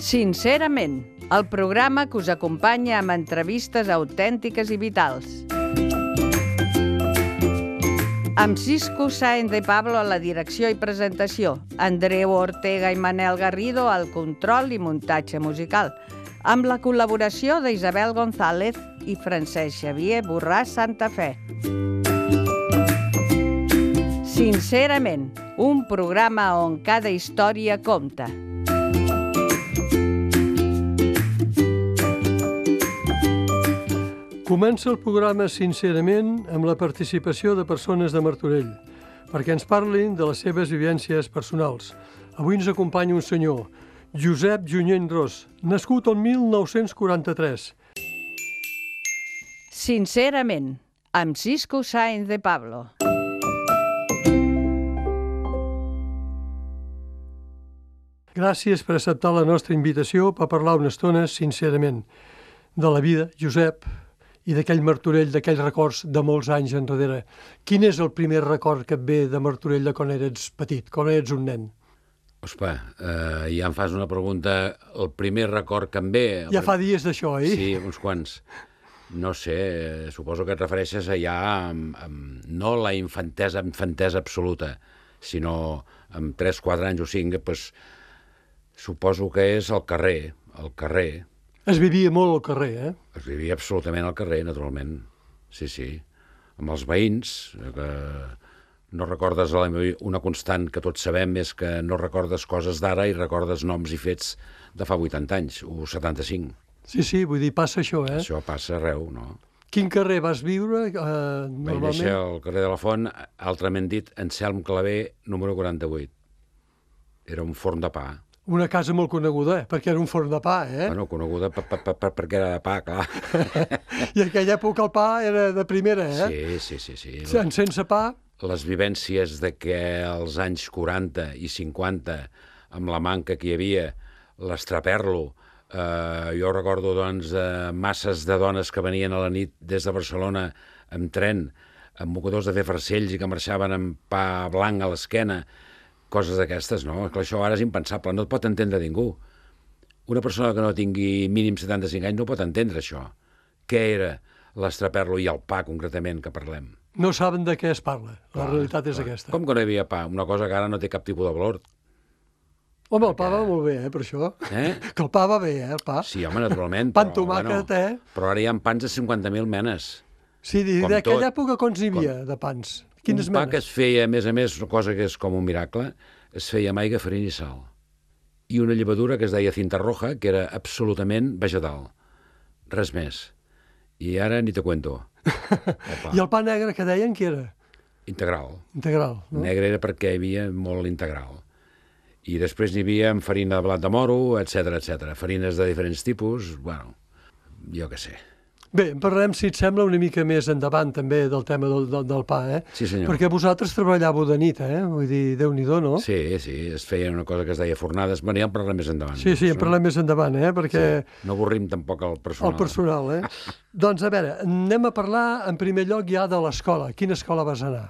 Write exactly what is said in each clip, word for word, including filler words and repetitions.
Sincerament, el programa que us acompanya amb entrevistes autèntiques i vitals. Amb Cisco Sáenz de Pablo a la direcció i presentació, Andreu Ortega i Manel Garrido al control i muntatge musical, amb la col·laboració d'Isabel González i Francesc Xavier Borràs Santa Fe. Sincerament, un programa on cada història compta. Comença el programa Sincerament amb la participació de persones de Martorell, perquè ens parlin de les seves vivències personals. Avui ens acompanya un senyor, Josep Junyent Ros, nascut el mil nou-cents quaranta-tres. Sincerament, amb Cisco Sáenz de Pablo. Gràcies per acceptar la nostra invitació per parlar una estona, sincerament, de la vida, Josep, i d'aquell Martorell, d'aquells records de molts anys enrere. Quin és el primer record que et ve de Martorell de quan eres petit, quan eres un nen? Ospa, eh, ja em fas una pregunta. El primer record que em ve... Ja fa dies d'això, eh? Sí, uns quants. No sé, eh, suposo que et refereixes allà amb, amb, no la infantesa, infantesa absoluta, sinó amb tres, quatre anys o cinc, doncs, suposo que és el carrer, el carrer. Es vivia molt al carrer, eh? Es vivia absolutament al carrer, naturalment. Sí, sí. Amb els veïns, que no recordes una constant que tots sabem és que no recordes coses d'ara i recordes noms i fets de fa vuitanta anys, o setanta-cinc. Sí, sí, vull dir, passa això, eh? Això passa arreu, no? Quin carrer vas viure, eh, normalment? Vaig néixer al carrer de la Font, altrament dit, Anselm Clavé, número quaranta-vuit. Era un forn de pa. Una casa molt coneguda, eh? Perquè era un forn de pa, eh? Bueno, coneguda per, per, per, perquè era de pa, clar. I en aquella època el pa era de primera, eh? Sí, sí, sí. sí. Sense pa... Les vivències de que als anys quaranta i cinquanta, amb la manca que hi havia, l'estraperlo, eh, jo recordo, doncs, eh, masses de dones que venien a la nit des de Barcelona amb tren, amb mocadors de fer farcells i que marxaven amb pa blanc a l'esquena, coses d'aquestes, no? Que això ara és impensable, no et pot entendre ningú. Una persona que no tingui mínim setanta-cinc anys no pot entendre això. Què era l'estraperlo i el pa, concretament, que parlem? No saben de què es parla, la clar, realitat és clar. aquesta. Com que no hi havia pa? Una cosa que ara no té cap tipus de valor. Home, el pa va molt bé, eh, per això. Eh? Que el pa va bé, eh, el pa. Sí, home, naturalment. Pa amb tomàquet, bueno, eh? Però ara hi ha pans de cinquanta mil menes. Sí, d'aquella època quants n'hi havia, de pans? Quines un pa menes? que es feia, a més a més, una cosa que és com un miracle, es feia amb aigua, farina i sal. I una llevadura que es deia cinta roja, que era absolutament vegetal. Res més. I ara ni te cuento. El I el pa negre que deien que era? Integral. Integral, no? Negre era perquè hi havia molt integral. I després n'hi havia amb farina de blat de moro, etcètera, etcètera. Farines de diferents tipus, bueno, jo què sé. Bé, en parlarem, si et sembla, una mica més endavant també del tema del, del, del pa, eh? Sí, senyor. Perquè vosaltres treballàveu de nit, eh? Vull dir, Déu-n'hi-do, no? Sí, sí, es feia una cosa que es deia fornades. Bueno, ja en parlarem més endavant. Sí, sí, en parlarem més endavant, eh? Perquè... Sí. No avorrim tampoc el personal. El personal, eh? Doncs, a veure, anem a parlar, en primer lloc, ja de l'escola. Quina escola vas anar?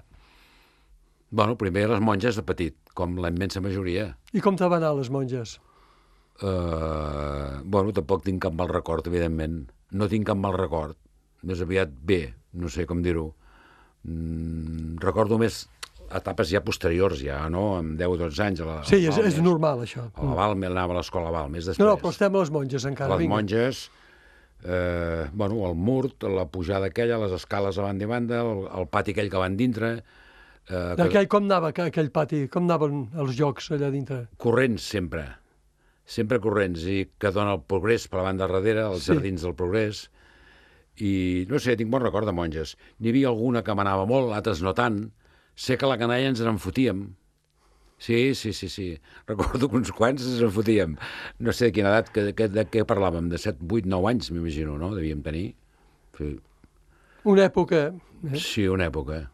Bueno, primer les monges de petit, com la immensa majoria. I com te van anar les monges? Uh, bueno, tampoc tinc cap mal record, evidentment. No tinc cap mal record. Més aviat bé, no sé com dir-ho. Mm, recordo més etapes ja posteriors, ja, no? Amb deu o dotze anys. A la, sí, a és, és normal, això. A la Balmes, anava a l'escola Balmes, després. No, no, però estem a les monges encara. A les vinga. monges, eh, bueno, el Murt, la pujada aquella, les escales a banda i banda, el, el pati aquell que van dintre... Eh, aquell, com anava aquell pati? Com anaven els jocs allà dintre? Corrents, sempre. Sempre corrents, i que dona el Progrés per la banda darrere, els sí. Jardins del Progrés. I, no sé, tinc bon record de monges. N'hi havia alguna que m'anava molt, altres no tant. Sé que a la canalla ens en fotíem. Sí, sí, sí, sí. Recordo que uns quants ens en fotíem. No sé de quina edat, que, que, de què parlàvem? De set, vuit, nou anys, m'imagino, no? Devíem tenir. Sí. Una època... Eh? Sí, una època.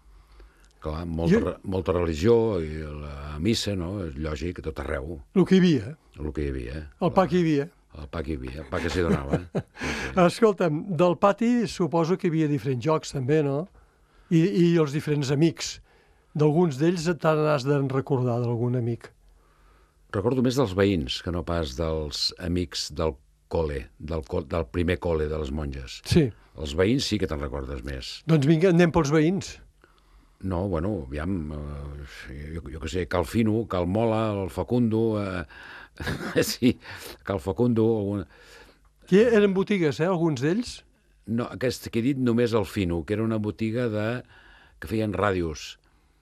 Clar, molta, jo... molta religió, i la missa, no? És lògic, a tot arreu. El que hi havia. El que hi havia. El pa que hi havia. El pa que hi havia, el pa que s'hi donava. Sí, sí. Escolta'm, del pati suposo que hi havia diferents jocs també, no? I, i els diferents amics. D'alguns d'ells te n'has de recordar, d'algun amic. Recordo més dels veïns que no pas dels amics del col·le, del, del primer col·le de les monges. Sí. Els veïns sí que te'n recordes més. Doncs vinga, anem pels veïns. No, bueno, aviam, eh, jo, jo què sé, Cal Fino, Cal Mola, el Facundo, eh, sí, Cal Facundo... Alguna... Aquí eren botigues, eh, alguns d'ells? No, aquest que he dit només el Fino, que era una botiga de... que feien ràdios.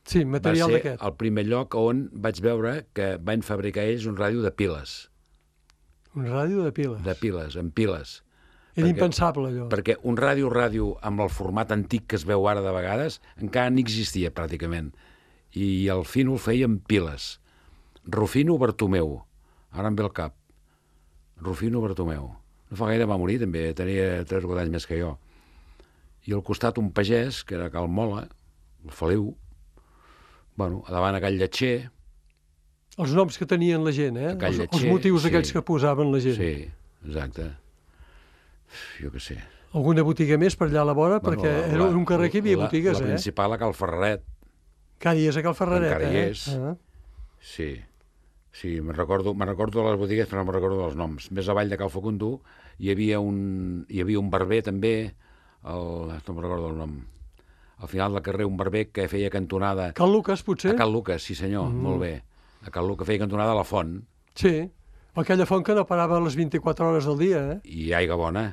Sí, material Va d'aquest. ser el primer lloc on vaig veure que van fabricar ells un ràdio de piles. Un ràdio de piles. De piles, amb piles. Era perquè, impensable, allò. Perquè un ràdio-ràdio amb el format antic que es veu ara de vegades encara no existia, pràcticament. I el Fino el feia amb piles. Rufino Bartomeu. Ara em ve el cap. Rufino Bartomeu. No fa gaire va morir, també. Tenia tres o quatre anys més que jo. I al costat un pagès, que era Cal Mola, el Feliu. Bueno, a davant a Call Lletxer. Els noms que tenien la gent, eh? Els, els motius sí. aquells que posaven la gent. Sí, exacte. Jo què sé. Alguna botiga més per allà a la vora? Bueno, perquè la, era un carrer que hi havia la, botigues, la eh? La principal a Cal Ferraret. Cada dia és a Cal Ferraret, encara hi eh? és. Ah. Sí. Sí, me'n recordo, me recordo de les botigues, però no me'n recordo dels noms. Més avall de Cal Facundo hi havia un, hi havia un barber, també, el, no me'n recordo el nom. Al final del carrer, un barber que feia cantonada... Cal Lucas, potser? A Cal Lucas, sí senyor, mm. molt bé. A Cal Lucas feia cantonada a la font. Sí, aquella font que no parava a les vint-i-quatre hores del dia, eh? I aigua bona.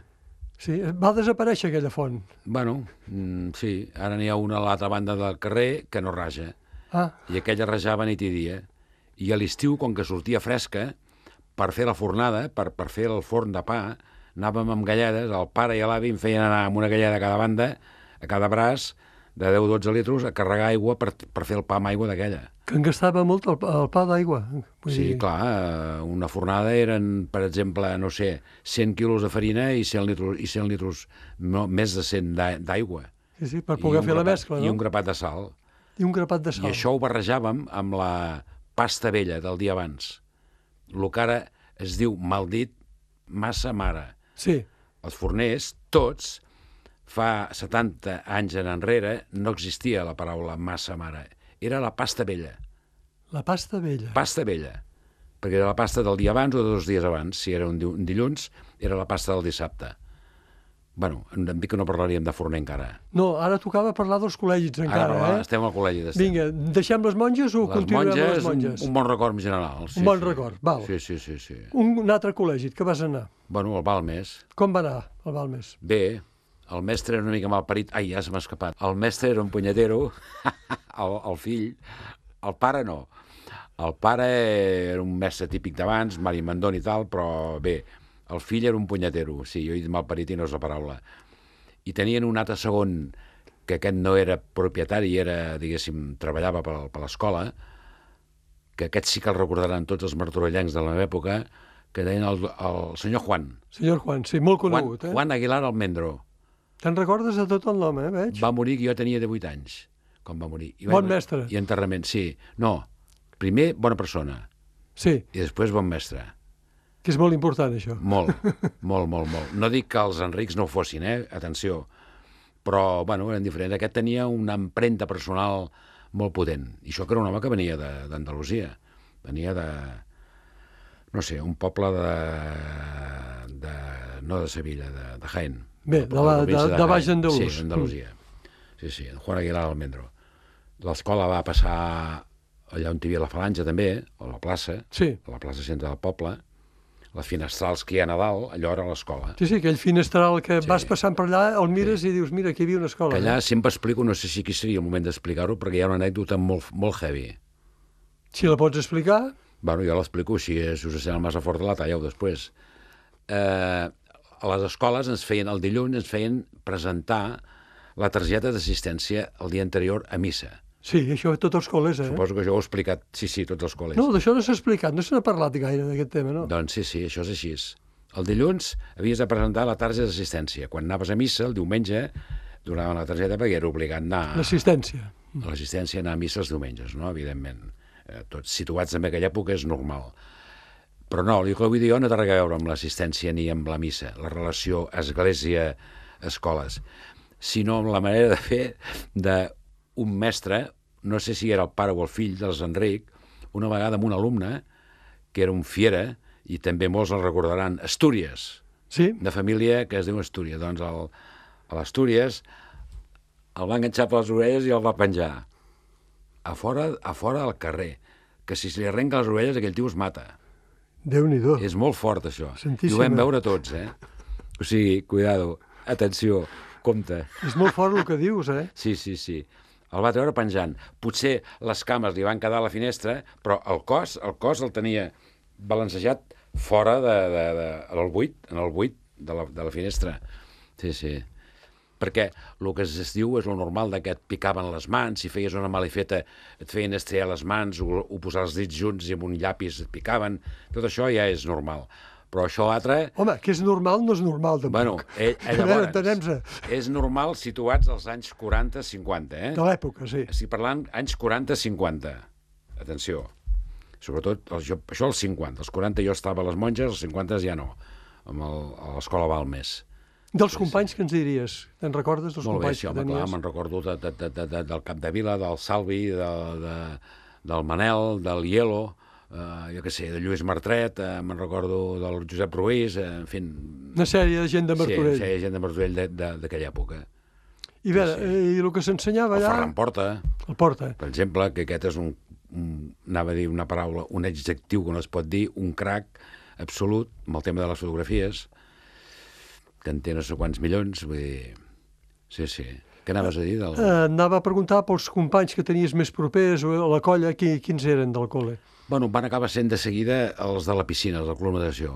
Sí, va desaparèixer aquella font. Bueno, mm, sí, ara n'hi ha una a l'altra banda del carrer que no raja. Ah. I aquella rajava nit i dia. I a l'estiu, com que sortia fresca, per fer la fornada, per, per fer el forn de pa, anàvem amb galledes, el pare i l'avi em feien anar amb una galleda a cada banda, a cada braç, de deu o dotze litros, a carregar aigua per, per fer el pa amb aigua d'aquella. Que en gastava molt el, el pa d'aigua. Sí, dir... clar, una fornada eren, per exemple, no sé, cent quilos de farina i cent litros, i cent litros no, més de cent d'aigua. Sí, sí, per poder fer grapat, la mescla, no? I un grapat de sal. I un grapat de sal. I això ho barrejàvem amb la pasta vella del dia abans. El que ara es diu, mal dit, massa mare. Sí. Els forners, tots, fa setanta anys en enrere, no existia la paraula massa mare. Era la pasta vella. La pasta vella. Pasta vella. Perquè era la pasta del dia abans o de dos dies abans. Si era un dilluns, era la pasta del dissabte. Bueno, em dic que no parlaríem de forner encara. No, ara tocava parlar dels col·legis encara, ara, eh? Estem al col·legi d'estem. Vinga, deixem les monges o les continuem monges, amb les monges? Un, un bon record en general. Sí, un bon sí. record, val. Sí, sí, sí, sí. Un, un altre col·legi, que vas anar? Bueno, al Balmes. Com va anar, al Balmes? Bé, el mestre era una mica malparit. Ai, ja se m'ha escapat. El mestre era un punyetero, el, el fill, el pare no. El pare era un mestre típic d'abans, Mari Mandón i tal, però bé, el fill era un punyetero. Sí, jo he dit malparit i no és la paraula. I tenien un altre segon, que aquest no era propietari, era, diguéssim, treballava per, per l'escola, que aquest sí que el recordaran tots els martorellencs de la meva època, que deien el, el senyor Juan. Senyor Juan, sí, molt conegut, Juan, eh? Juan Aguilar Almendro. Te'n recordes de tot el nom, eh, veig? Va morir, que jo tenia divuit anys, quan va morir. I bon va, mestre. I enterrament, sí. No, primer bona persona. Sí. I després bon mestre. Que és molt important, això. Molt, molt, molt, molt. No dic que els Enrics no ho fossin, eh? Atenció. Però, bueno, eren diferents. Aquest tenia una empremta personal molt potent. I això que era un home que venia d'Andalusia. Venia de, no sé, un poble de... de no de Sevilla, de, de Jaén. Bé, de, la, de, de, de Baix Andalús. Sí, Andalusia. Sí, sí, Juan Aguilar Almendro. L'escola va passar allà on hi havia la Falange, també, a la plaça, sí. A la plaça centre del poble. Les finestrals que hi ha a Nadal, allò era l'escola. Sí, sí, aquell finestral que sí. Vas passant per allà, el mires sí. I dius, mira, aquí hi havia una escola. Que allà eh? Sempre explico, no sé si aquí seria el moment d'explicar-ho, perquè hi ha una anècdota molt, molt heavy. Si la pots explicar? Bueno, jo l'explico, si us sent el massa fort de la talleu després. Eh, a les escoles ens feien, el dilluns ens feien presentar la targeta d'assistència el dia anterior a missa. Sí, això a tots els col·les, eh? Suposo que això ho he explicat, sí, sí, tots els col·les. No, d'això no s'ha explicat, no se n'ha parlat gaire d'aquest tema, no? Doncs sí, sí, això és així. El dilluns havies de presentar la targeta d'assistència. Quan anaves a missa, el diumenge, donaven la targeta perquè era obligat a anar... L'assistència. A l'assistència, anar a missa els diumenges, no?, evidentment. Eh, tots situats en aquella època és normal. Però no, el que vull dir jo no té res a veure amb l'assistència ni amb la missa, la relació església-escoles, sinó amb la manera de fer de un mestre, no sé si era el pare o el fill dels Enric, una vegada amb un alumne que era un fiera, i també molts el recordaran, Astúries, Sí? de família que es diu Astúries. Doncs el, a l'Astúries el va enganxar per les orelles i el va penjar. A fora, a fora al carrer, que si se li arrenca les orelles aquell tio es mata. Déu-n'hi-do. És molt fort, això. Santíssima. I ho vam veure tots, eh? O sigui, cuidado, atenció, compte. És molt fort el que dius, eh? Sí, sí, sí. El va treure penjant. Potser les cames li van quedar a la finestra, però el cos, el cos el tenia balancejat fora de, de, de, en el buit, en el buit de la, de la finestra. Sí, sí. Perquè el que es diu és lo normal de que et picaven les mans, si feies una malifeta et feien estrellar les mans o, o posar els dits junts i amb un llapis et picaven. Tot això ja és normal. Però això altre... Home, que és normal no és normal, tampoc. Bueno, eh, eh, A veure, llavors, entenem-se. és normal situats als anys quaranta cinquanta, eh? De l'època, sí. Estic parlant anys quaranta cinquanta. Atenció. Sobretot, el, jo, això als cinquanta. Els quaranta jo estava a les monges, els cinquanta ja no. Amb el, a l'escola Balmes. Dels companys que ens diries? Te'n recordes dels Molt bé, companys sí, que home, clar, tenies? me'n recordo de, de, de, de, de, del Capdevila, del Salvi, de, de, del Manel, del Hielo, eh, jo què sé, de Lluís Martret, eh, me'n recordo del Josep Ruiz, eh, en fi... Una sèrie de gent de Martorell. Sí, sí, gent de Martorell de- de- d'aquella època. I, a veure, sí. eh, i el que s'ensenyava El allà... Ferran Porta, El Porta. per exemple, que aquest és un, un, anava a dir una paraula, un adjectiu que no es pot dir, un crac absolut amb el tema de les fotografies, que en té no sé quants milions, vull dir... Sí, sí. Què anaves a dir? Del... Eh, anava a preguntar pels companys que tenies més propers o a la colla, qui, quins eren del col·le? Bueno, van acabar sent de seguida els de la piscina, els del Club Natació.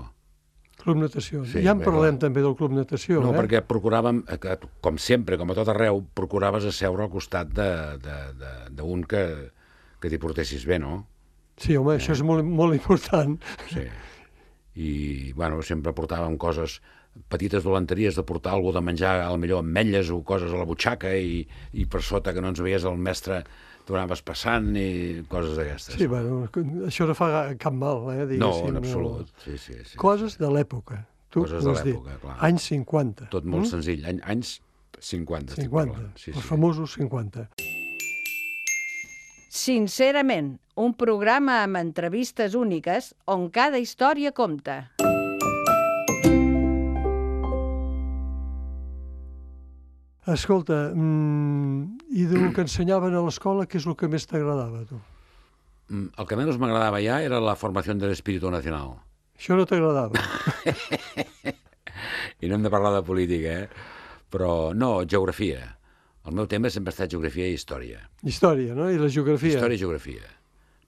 Club Natació. Sí, Ja en bé, parlem clar. també del Club Natació, No, eh? perquè procuràvem, eh, que, com sempre, com a tot arreu, procuraves asseure al costat d'un de, de, de, que, que t'hi portessis bé, no? Sí, home, això és molt, molt important. Sí. I, bueno, sempre portàvem coses, petites dolenteries de portar alguna de menjar, a la millor ametlles o coses a la butxaca i, i per sota que no ens veies el mestre t'ho anaves passant i coses d'aquestes. Sí, bueno, això no fa cap mal, eh? No, diguéssim, en absolut. Sí, sí, sí, Coses sí. de l'època. Tu Coses ho de has dit. l'època, clar. Anys cinquanta. Tot molt mm? senzill. Any, anys cinquanta, estic cinquanta. parlant. Sí, Els sí. famosos cinquanta. Sincerament, un programa amb entrevistes úniques on cada història compta. Escolta, mm, i del que ensenyaven a l'escola, què és el que més t'agradava, a tu? Mm, El que menys m'agradava ja era la formació de l'espíritu nacional. Això no t'agradava? I no hem de parlar de política, eh? Però no, geografia. El meu tema sempre ha estat geografia i història. Història, no? I la geografia. Història i geografia.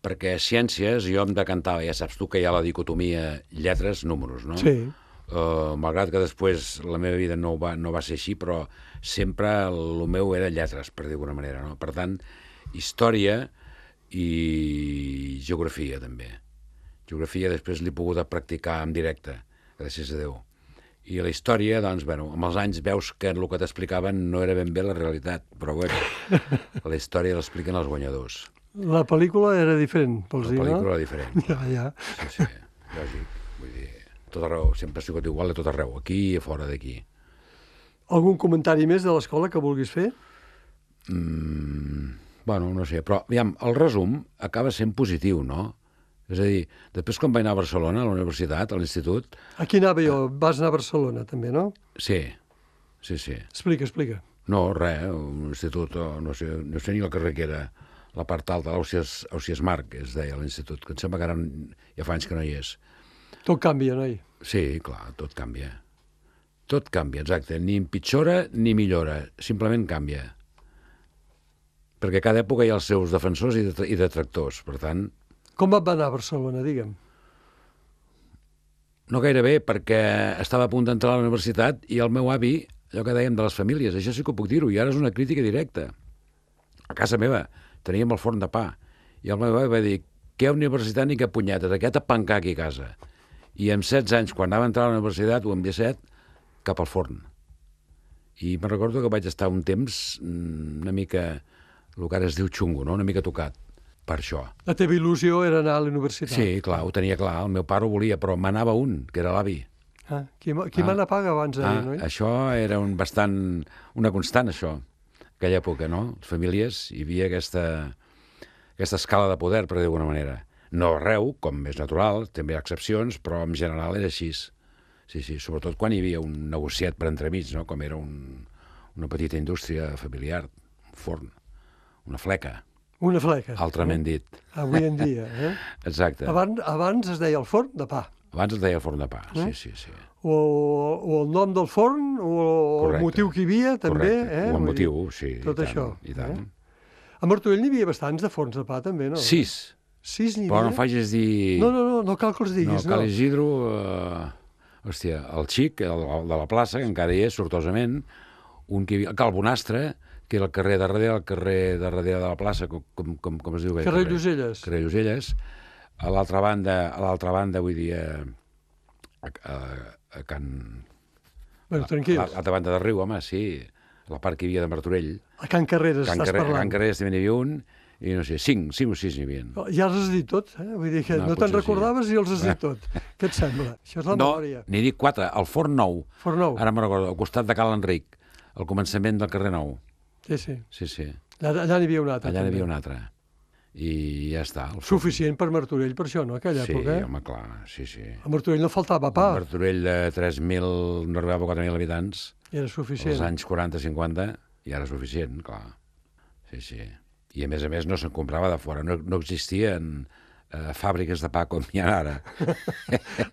Perquè ciències, jo em decantava, ja saps tu que hi ha la dicotomia lletres, números, no? Sí. Uh, malgrat que després la meva vida no va, no va ser així, però sempre el meu era lletres, per dir d'alguna manera, no? Per tant, història i geografia, també. Geografia després l'he pogut practicar en directe, gràcies a Déu. I la història, doncs, bueno, amb els anys veus que el que t'explicaven no era ben bé la realitat, però bueno, la història l'expliquen els guanyadors. La pel·lícula era diferent, vols La dir, pel·lícula no? era diferent. Ja, ja. Sí, sí, lògic. Vull dir, a tot arreu, sempre ha sigut igual a tot arreu, aquí i a fora d'aquí. Algun comentari més de l'escola que vulguis fer? Mm, bueno, no sé, però, aviam, el resum acaba sent positiu, no? És a dir, després quan vaig anar a Barcelona, a la universitat, a l'institut... Aquí anava jo, vas anar a Barcelona, també, no? Sí, sí, sí. Explica, explica. No, res, un institut, o no sé, no sé ni el carrer que era, la part alta, l'Ausias Ausias Marc, es deia l'institut, que em sembla que ara ja fa anys que no hi és. Tot canvia, noi. Sí, clar, tot canvia. Tot canvia, exacte. Ni empitjora ni millora, simplement canvia. Perquè cada època hi ha els seus defensors i, det i detractors, per tant... Com va anar a Barcelona, digue'm? No gaire bé, perquè estava a punt d'entrar a la universitat i el meu avi, allò que dèiem de les famílies, això sí que ho puc dir-ho, i ara és una crítica directa. A casa meva teníem el forn de pa, i el meu avi va dir, què universitat ni què punyetes, aquest a pencar aquí a casa. I amb setze anys, quan anava a entrar a la universitat, o amb disset, cap al forn. I me'n recordo que vaig estar un temps una mica, el que ara es diu xungo, no? Una mica tocat per això. La teva il·lusió era anar a la universitat. Sí, clar, ho tenia clar, el meu pare ho volia, però m'anava un, que era l'avi. Ah, qui qui Ah. mana paga abans d'ahir, Ah, no? això era un bastant, una constant, això, aquella època, no? Les famílies, hi havia aquesta, aquesta escala de poder, per dir d'alguna manera. No arreu, com és natural, també hi ha excepcions, però en general era així. Sí, sí, sobretot quan hi havia un negociat per entremig, no? Com era un, una petita indústria familiar, un forn, una fleca. Una fleca. Altrament eh? dit. Avui en dia, eh? Exacte. Abans, abans es deia el forn de pa. Abans es deia el forn de pa, Eh? sí, sí, sí. O, o el nom del forn, o Correcte. el motiu que hi havia, també. Correcte. Eh? O el Vull motiu, dir, sí. tot i tant, això, I tant. eh? A Martorell n'hi havia bastants de forns de pa, també, no? Sis. Sis n'hi Però havia? no em facis dir... No, no, no, no cal que els No, diguis, no. Cal Isidro... Eh... Hòstia, el xic, el, el de la plaça, que encara hi és, sortosament, un que hi havia... Cal Bonastre, que era el carrer de darrere, el carrer de darrere de la plaça, com, com, com, com es diu? Carrer Lloselles. Carrer Lloselles. A l'altra banda, a l'altra banda, vull dir, a, a, a Can... Bueno, A tranquils. l'altra banda del riu, home, sí. A la part que hi havia de Martorell. A Can Carreres Can estàs Carrer, parlant. Can Carreres també n'hi havia un, i no sé, cinc, cinc o sis n'hi havia. Ja els has dit tot, eh? Vull dir que No, no, te'n potser sí. recordaves i els has dit tot. Què et sembla? Això és la No, memòria. n'hi dic quatre. El Forn Nou. Forn Nou. Ara me'n recordo, al costat de Cal Enric, al començament del carrer Nou. Sí, sí. Sí, sí. Allà, allà n'hi havia un altre. Allà n'hi també. havia un altre. I ja està. El Forn. Suficient per Martorell, per això, no? Aquella Sí, època. home, clar, sí, sí. A Martorell no faltava pa. Un Martorell de tres mil, no arribava a quatre mil habitants, Era als suficient. anys quaranta cinquanta, i ara és suficient, clar. Sí, sí. I a més a més no se'n comprava de fora, no, no existien eh, fàbriques de pa com hi ha ara.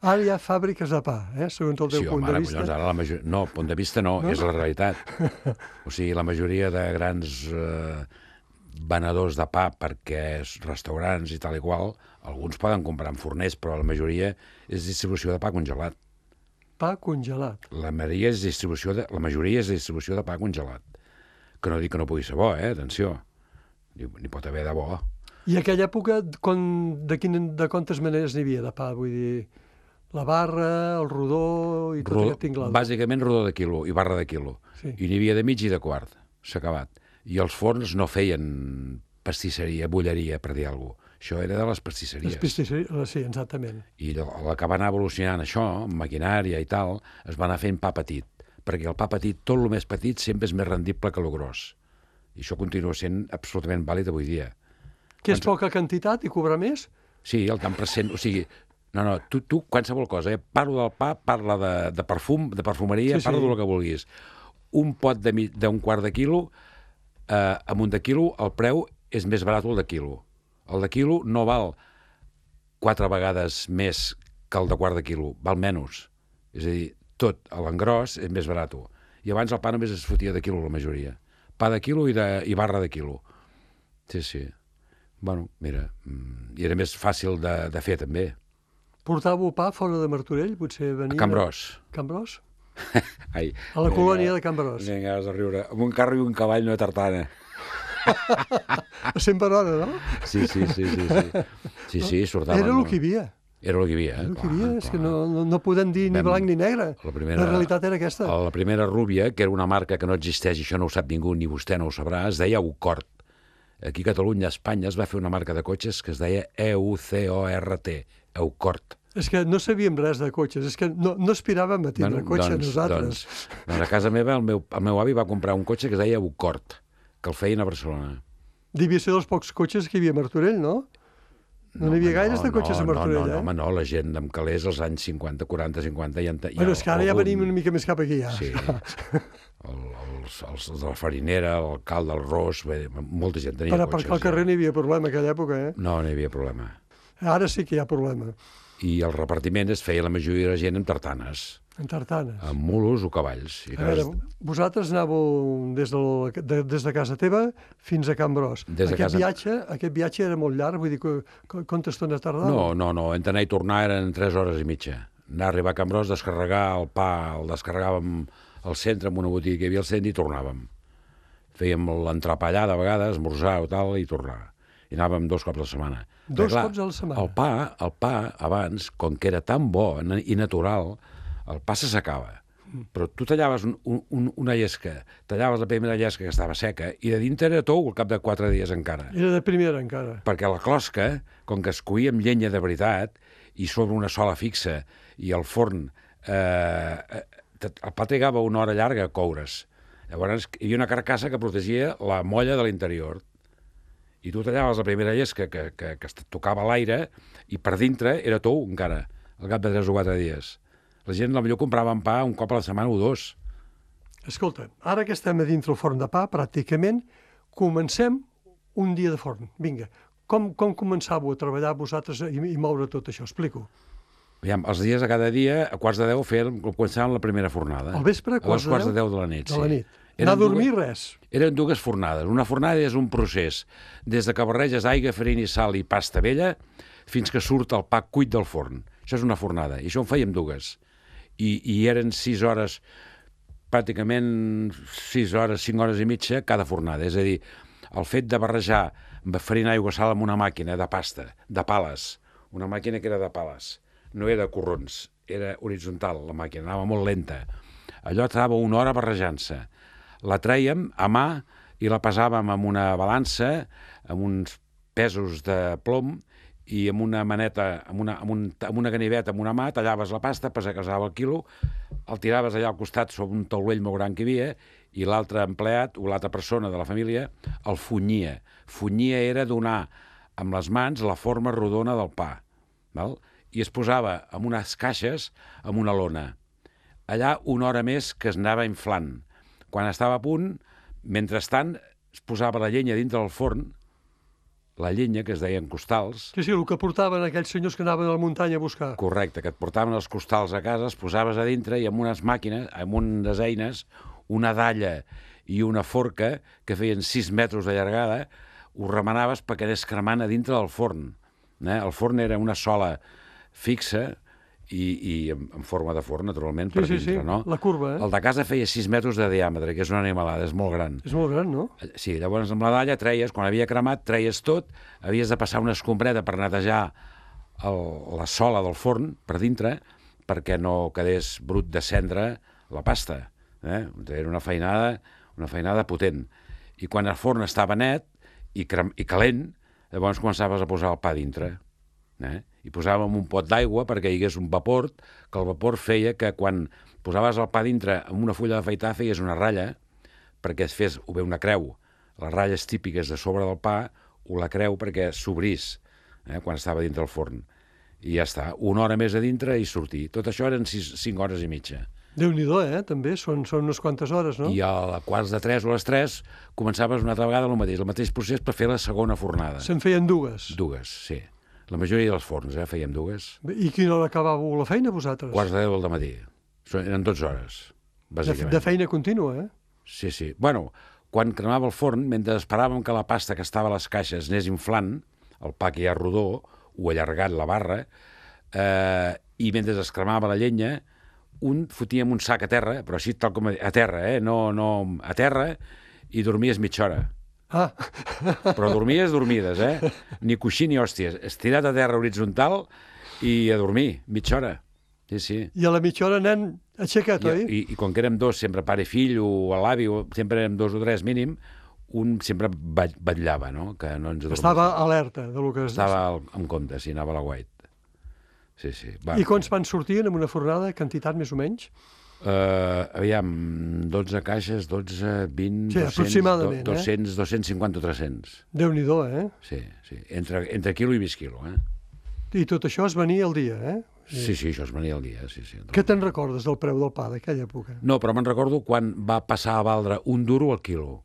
Ara hi ha fàbriques de pa, eh? Segons el teu Sí, punt home, de ara, vista. collons, ara la majoria... No, punt de vista no, no, és la realitat. O sigui, la majoria de grans eh, venedors de pa, perquè és restaurants i tal i qual, alguns poden comprar en forners, però la majoria és distribució de pa congelat. Pa congelat. La majoria és distribució de, la majoria és distribució de pa congelat. Que no dic que no pugui ser bo, eh? Atenció. N'hi pot haver de bo. I aquella època, quan, de, quin, de quantes maneres n'hi havia de pa? Vull dir, la barra, el rodó i tot Rodó, aquest tinglado. bàsicament rodó de quilo i barra de quilo. Sí. I n'hi havia de mig i de quart. S'ha acabat. I els forns no feien pastisseria, bulleria, per dir alguna cosa. Això era de les pastisseries. Les pastisseries, sí, exactament. I a la que va anar evolucionant això, amb maquinària i tal, es va anar fent pa petit. Perquè el pa petit, tot el més petit, sempre és més rendible que el gros. I això continua sent absolutament vàlid avui dia. Que és poca quantitat i cobrar més? Sí, el tant per cent, o sigui, no, no, tu, tu qualsevol cosa, eh? Parlo del pa, parla de, de perfum, de perfumeria, Sí, parla sí. del que vulguis. Un pot de mi- d'un quart de quilo, eh, amb un de quilo, el preu és més barat el de quilo. El de quilo no val quatre vegades més que el de quart de quilo, val menys. És a dir, tot, a l'engròs, és més barat. I abans el pa només es fotia de quilo, la majoria. Pa de quilo i, de, i barra de quilo. Sí, sí. Bueno, mira, mm, i era més fàcil de, de fer, també. Portàveu pa fora de Martorell? Potser venia... A Can Bros. Can Bros? Ai, A la colònia de Can Bros. Vinga, has de riure. Amb un carro i un cavall, no tartana. A cent per hora, no? Sí, sí, sí, sí. Sí, sí, sí sortaven. Era el no? que hi havia. Era el que hi havia, eh? Era el que hi havia, Clar, és que clar. no, no, no podem dir ni Vam- blanc ni negre. La primera- La realitat era aquesta. La primera rúbia, que era una marca que no existeix, i això no ho sap ningú, ni vostè no ho sabrà, es deia Eucort. Aquí a Catalunya, a Espanya, es va fer una marca de cotxes que es deia E U C O R T, Eucort. És que no sabíem res de cotxes, és que no, no aspiràvem a tindre Bueno, cotxe doncs, nosaltres. Doncs, doncs a casa meva el meu, el meu avi va comprar un cotxe que es deia Eucort, que el feien a Barcelona. Devia ser dels pocs cotxes que hi havia a Martorell, no? No n'hi havia home, gaires de cotxes a Martorell, no, no, eh? home, no, la gent amb calés als anys cinquanta, quaranta, cinquanta... Ja, en te- Bueno, és que ara ja algun- venim una mica més cap aquí, ja. Sí, el, els, els de la farinera, l'alcalde, el ros, bé, molta gent tenia Per cotxes. aparcar al carrer no hi havia problema en aquella època, eh? No, no hi havia problema. Ara sí que hi ha problema. I el repartiment es feia la majoria de la gent amb tartanes, En tartanes. amb mulos o cavalls. I A veure, cas- vosaltres anàveu des, del, de, des de casa teva fins a Can Bros. Des de aquest, casa- viatge, aquest viatge era molt llarg, vull dir, que, que, quanta estona tardava? No, no, no, entre anar i tornar eren tres hores i mitja. Anar a arribar a Can Bros, descarregar el pa, el descarregàvem al centre, en una botiga que hi havia al centre, i tornàvem. Fèiem l'entrepà allà, de vegades, esmorzar o tal, i tornar. I anàvem dos cops a la setmana. Dos Perquè, cops a la setmana? El pa, el pa, abans, com que era tan bo i natural, el pa se secava. Però tu tallaves un, un, una llesca, tallaves la primera llesca que estava seca, i de dintre era tou al cap de quatre dies encara. Era de primera, encara. Perquè la closca, com que es coïa amb llenya de veritat, i sobre una sola fixa, i el forn, eh, eh, el pa trigava una hora llarga a coure's. Llavors hi havia una carcassa que protegia la molla de l'interior. I tu tallaves la primera llesca que, que, que tocava l'aire i per dintre era tou encara, al cap de tres o quatre dies. La gent potser compraven pa un cop a la setmana o dos. Escolta, ara que estem a dintre el forn de pa, pràcticament, comencem un dia de forn. Vinga, com, com començàveu a treballar vosaltres i, i moure tot això? Explico. Aviam, els dies a cada dia, a quarts de deu, fèiem, començàvem la primera fornada. Al vespre, a les quarts de deu de la nit. De la sí. nit. Anar a dormir, res. Eren dues fornades. Una fornada és un procés, des de que barreges aigua, farina i sal i pasta vella, fins que surt el pa cuit del forn. Això és una fornada. I això en fèiem dues. I, i eren sis hores, pràcticament sis hores, cinc hores i mitja cada fornada. És a dir, el fet de barrejar farina, aigua, sal amb una màquina de pasta, de pales, una màquina que era de pales, no era de corrons, era horitzontal la màquina, anava molt lenta. Allò estava una hora barrejant-se. La trèiem a mà i la pesàvem amb una balança, amb uns pesos de plom i amb una maneta, amb una, amb un, amb una ganiveta, amb una mà, tallaves la pasta, pesava el quilo, el tiraves allà al costat sobre un taulell molt gran que hi havia i l'altre empleat o l'altra persona de la família el funyia. Funyia era donar amb les mans la forma rodona del pa, val? I es posava en unes caixes amb una lona. Allà una hora més que es anava inflant. Quan estava a punt, mentrestant, es posava la llenya dintre del forn, la llenya, que es deien costals. Sí, sí, el que portaven aquells senyors que anaven a la muntanya a buscar. Correcte, que et portaven els costals a casa, es posaves a dintre i amb unes màquines, amb unes eines, una dalla i una forca que feien sis metres de llargada, ho remenaves perquè anés cremant a dintre del forn. Eh? El forn era una sola fixa i, i en, en forma de forn, naturalment, sí, per sí, dintre, sí, no? la curva, eh? El de casa feia sis metres de diàmetre, que és una animalada, és molt gran. És molt gran, no? Sí, llavors amb la dalla treies, quan havia cremat, treies tot, havies de passar una escombreta per netejar el, la sola del forn per dintre, perquè no quedés brut de cendra la pasta. Eh? Era una feinada, una feinada potent. I quan el forn estava net i, crem, i calent, llavors començaves a posar el pa dintre. Eh? I posàvem un pot d'aigua perquè hi hagués un vapor, que el vapor feia que quan posaves el pa dintre amb una fulla d'afaitar feies una ratlla perquè es fes o bé una creu. Les ratlles típiques de sobre del pa o la creu perquè s'obrís eh, quan estava dintre el forn. I ja està, una hora més a dintre i sortir. Tot això eren sis, cinc hores i mitja. Déu-n'hi-do, eh? També són, són unes quantes hores, no? I a quarts de tres o a les tres començaves una altra vegada el mateix, el mateix procés per fer la segona fornada. Se'n feien dues? Dues, sí. La majoria dels forns, eh, fèiem dues. I quina hora acabàveu la feina, vosaltres? Quarts de deu del matí. Eren dotze hores, bàsicament. De, de feina contínua, eh? Sí, sí. Bueno, quan cremava el forn, mentre esperàvem que la pasta que estava a les caixes anés inflant, el pa que ja rodó, o allargat la barra, eh, i mentre es cremava la llenya, un fotíem un sac a terra, però així tal com a terra, eh? No, no, a terra, i dormies mitja hora. Ah. Però dormies dormides, eh? Ni coixí ni hòsties. Estirat a terra horitzontal i a dormir, mitja hora. Sí, sí. I a la mitja hora, nen, aixecat, I, oi? I, I com que érem dos, sempre pare i fill, o l'avi, sempre érem dos o tres mínim, un sempre vetllava, no? Que no ens adormís. Estava alerta de lo que... Estava al, en compte, sí, anava a la guait. Sí, sí. Va. I quants pans sortien en una fornada, quantitat més o menys? Uh, aviam, dotze caixes, dotze, vint, sí, doscents, doscents, dos-cents cinquanta, tres-cents. Déu-n'hi-do, eh? Sí, sí, entre, entre quilo i mig quilo, eh? I tot això es venia al dia, eh? Sí, sí, això es venia al dia, sí, sí. Què te'n recordes del preu del pa d'aquella època? No, però me'n recordo quan va passar a valdre un duro al quilo.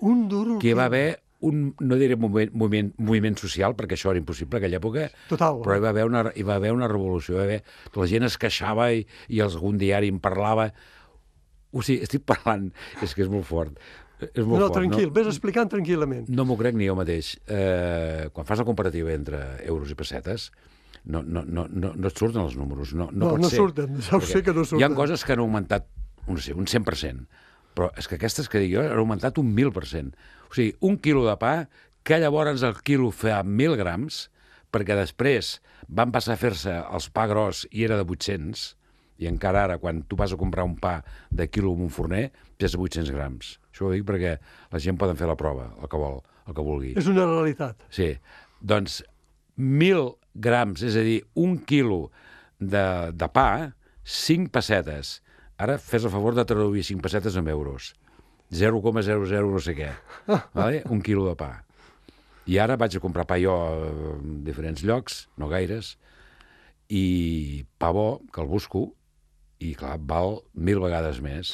Un duro al que quilo? Hi va haver un, no diré moviment, moviment, moviment social, perquè això era impossible en aquella època, total, però hi va haver una, hi va haver una revolució, hi va haver, la gent es queixava i, i algun diari en parlava. O sigui, estic parlant, és que és molt fort. És molt no, no, fort, tranquil, no? Ves explicant tranquil·lament. No m'ho crec ni jo mateix. Eh, quan fas la comparativa entre euros i pessetes, no, no, no, no, no et surten els números. No, no, no, pot no ser. surten, ja ho sé que no surten. Hi ha coses que han augmentat, no sé, un cent per cent, però és que aquestes que dic jo han augmentat un mil per cent. O sigui, un quilo de pa, que llavors el quilo feia mil grams, perquè després van passar a fer-se els pa gros i era de vuit-cents, i encara ara, quan tu vas a comprar un pa de quilo en un forner, pesa vuit-cents grams. Això ho dic perquè la gent poden fer la prova, el que vol, el que vulgui. És una realitat. Sí. Doncs mil grams, és a dir, un quilo de, de pa, cinc pessetes. Ara fes el favor de traduir cinc pessetes en euros. zero coma zero zero no sé què. Vale? Un quilo de pa. I ara vaig a comprar pa jo a diferents llocs, no gaires, i pa bo, que el busco, i clar, val mil vegades més.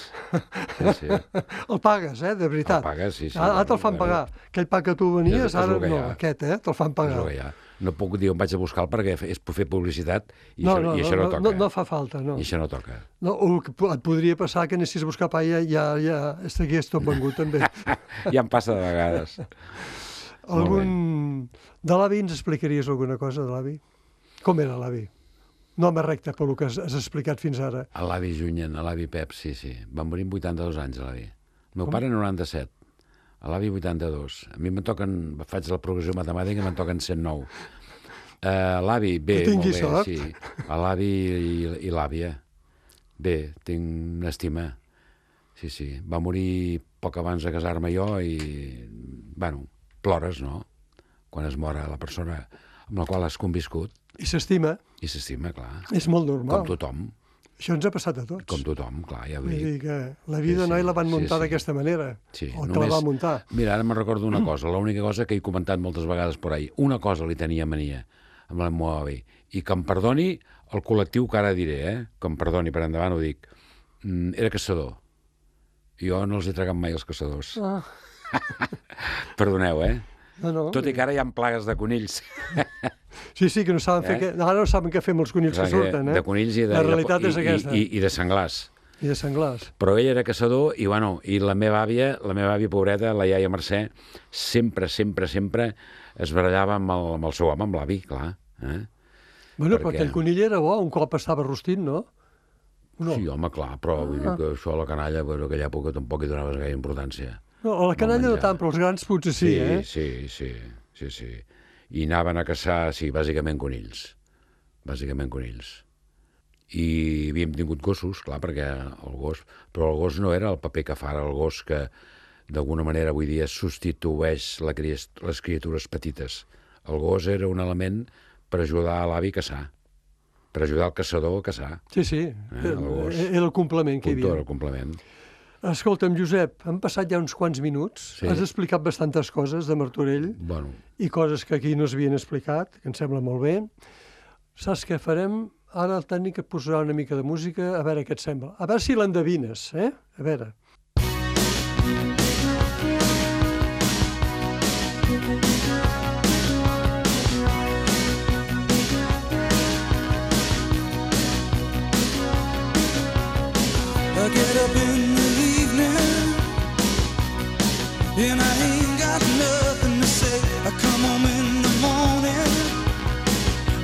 Sí, sí. El pagues, eh, de veritat. El pagues, sí, sí. Ara te'l fan pagar. Aquell pa que tu venies, és, és ara no, aquest, eh, te'l fan pagar. És el que hi ha. No puc dir on vaig a buscar perquè és per fer publicitat i, no, això, no, i això no, no toca. No, no fa falta, no. I això no toca. No, o que et podria passar que anessis a buscar pa i ja, ja, ja estigués tot vengut, també. Ja em passa de vegades. Algun... De l'avi ens explicaries alguna cosa, de l'avi? Com era l'avi? No home recte pel que has, has explicat fins ara. L'avi Junyen, l'avi Pep, sí, sí. Va morir amb vuitanta-dos anys, l'avi. El meu Com? pare noranta-set. L'avi vuitanta-dos. A mi me'n toquen, faig la progressió matemàtica i me'n toquen cent nou. Uh, l'avi, bé, molt bé, sort. Sí. L'avi i, i l'àvia. Bé, tinc una estima. Sí, sí. Va morir poc abans de casar-me jo i, bueno, plores, no? Quan es mora la persona amb la qual has conviscut. I s'estima. I s'estima, clar. És molt normal. Com tothom. Això ens ha passat a tots. Com tothom, clar, ja ho dic. Vull dir que la vida sí, no sí, la van muntar sí, sí. d'aquesta manera. Sí, o que només, la va muntar. Mira, ara me'n recordo una cosa, l'única cosa que he comentat moltes vegades por ahí. Una cosa li tenia mania amb el meu avi. I que em perdoni el col·lectiu que ara diré, eh? Que em perdoni, per endavant ho dic. Mm, era caçador. Jo no els he tragat mai els caçadors. Ah. Perdoneu, eh? No, no. Tot i que ara hi ha plagues de conills. Sí, sí, que no saben eh? fer... Que... Ara no saben què fer amb els conills que, que surten, eh? De conills i de... La realitat i, és aquesta. I, i, i de senglars. I de senglars. Però ell era caçador i, bueno, i la meva àvia, la meva àvia pobreta, la iaia Mercè, sempre, sempre, sempre es barallava amb el, amb el seu home, amb l'avi, clar. Eh? Bueno, Perquè... però aquell conill era bo, un cop estava rostit, no? no? Sí, home, clar, però vull dir que això a la canalla, bueno, aquella època tampoc hi donaves gaire importància. No, a la canalla no tant, però els grans potser sí, sí eh? Sí, sí, sí, sí. I anaven a caçar, sí, bàsicament conills. Bàsicament conills. I havíem tingut gossos, clar, perquè el gos... Però el gos no era el paper que fa ara el gos que, d'alguna manera, avui dia substitueix la cri... les criatures petites. El gos era un element per ajudar a l'avi a caçar, per ajudar el caçador a caçar. Sí, sí, eh, el gos. Era el complement que hi havia. Era el complement. Escolta'm, Josep, han passat ja uns quants minuts, sí. Has explicat bastantes coses de Martorell bueno. i coses que aquí no s'havien explicat, que em sembla molt bé. Saps què farem? Ara el tècnic et posarà una mica de música, a veure què et sembla. A veure si l'endevines, eh? A veure. I get up in the evening and I ain't got nothing to say. I come home in the morning,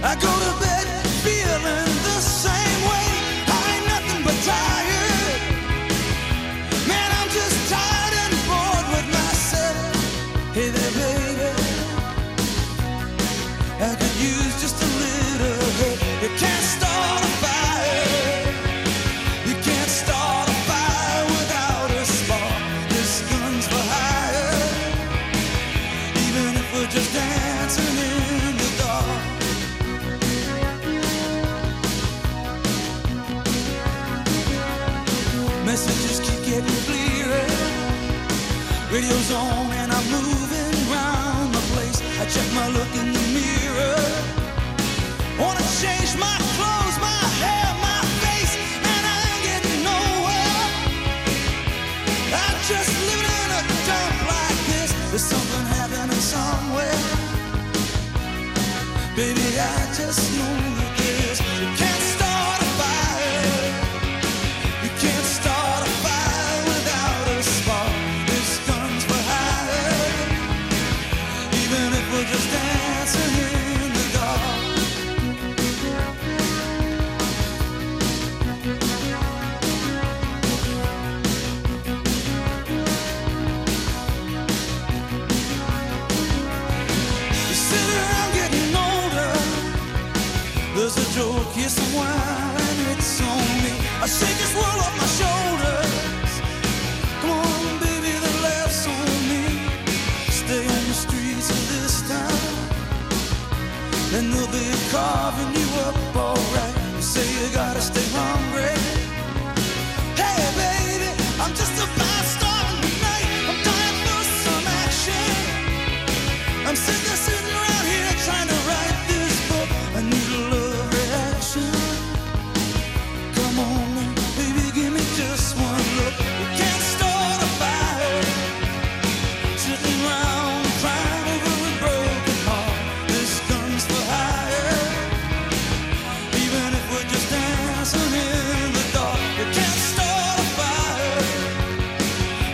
I go to bed feeling the same way. I ain't nothing but tired. Man, I'm just tired and bored with myself. Hey there, baby, I could use just a little help. You can't start a fire. You can't start a fire without a spark. This gun's for hire. Even if we're just dancing in the dark. Messages keep getting clearer. Radio's on and I'm moving around the place. I check my look in the mirror. Wanna change my clothes, my hair, my face, and I ain't getting nowhere. I'm just living in a dump like this. There's something happening somewhere. Baby, I just know that this. You can't start a fire. You can't start a fire without a spark. This gun's for hire. Even if we're just dancing in the dark. You sit around getting older. There's a joke, here's some wine, and it's on me. I shake this world off my shoulders. Come on, baby, the laugh's on me. Stay on the streets of this town, and they'll be carving you up alright. You say you gotta stay hungry. Hey, baby, I'm just about starting tonight. I'm dying for some action. I'm sitting there, sitting around here trying to write this book. I need a love reaction. Come on, baby, give me just one look. You can't start a fire sitting around crying over a broken heart. This gun's for hire. Even if we're just dancing in the dark, you can't start a fire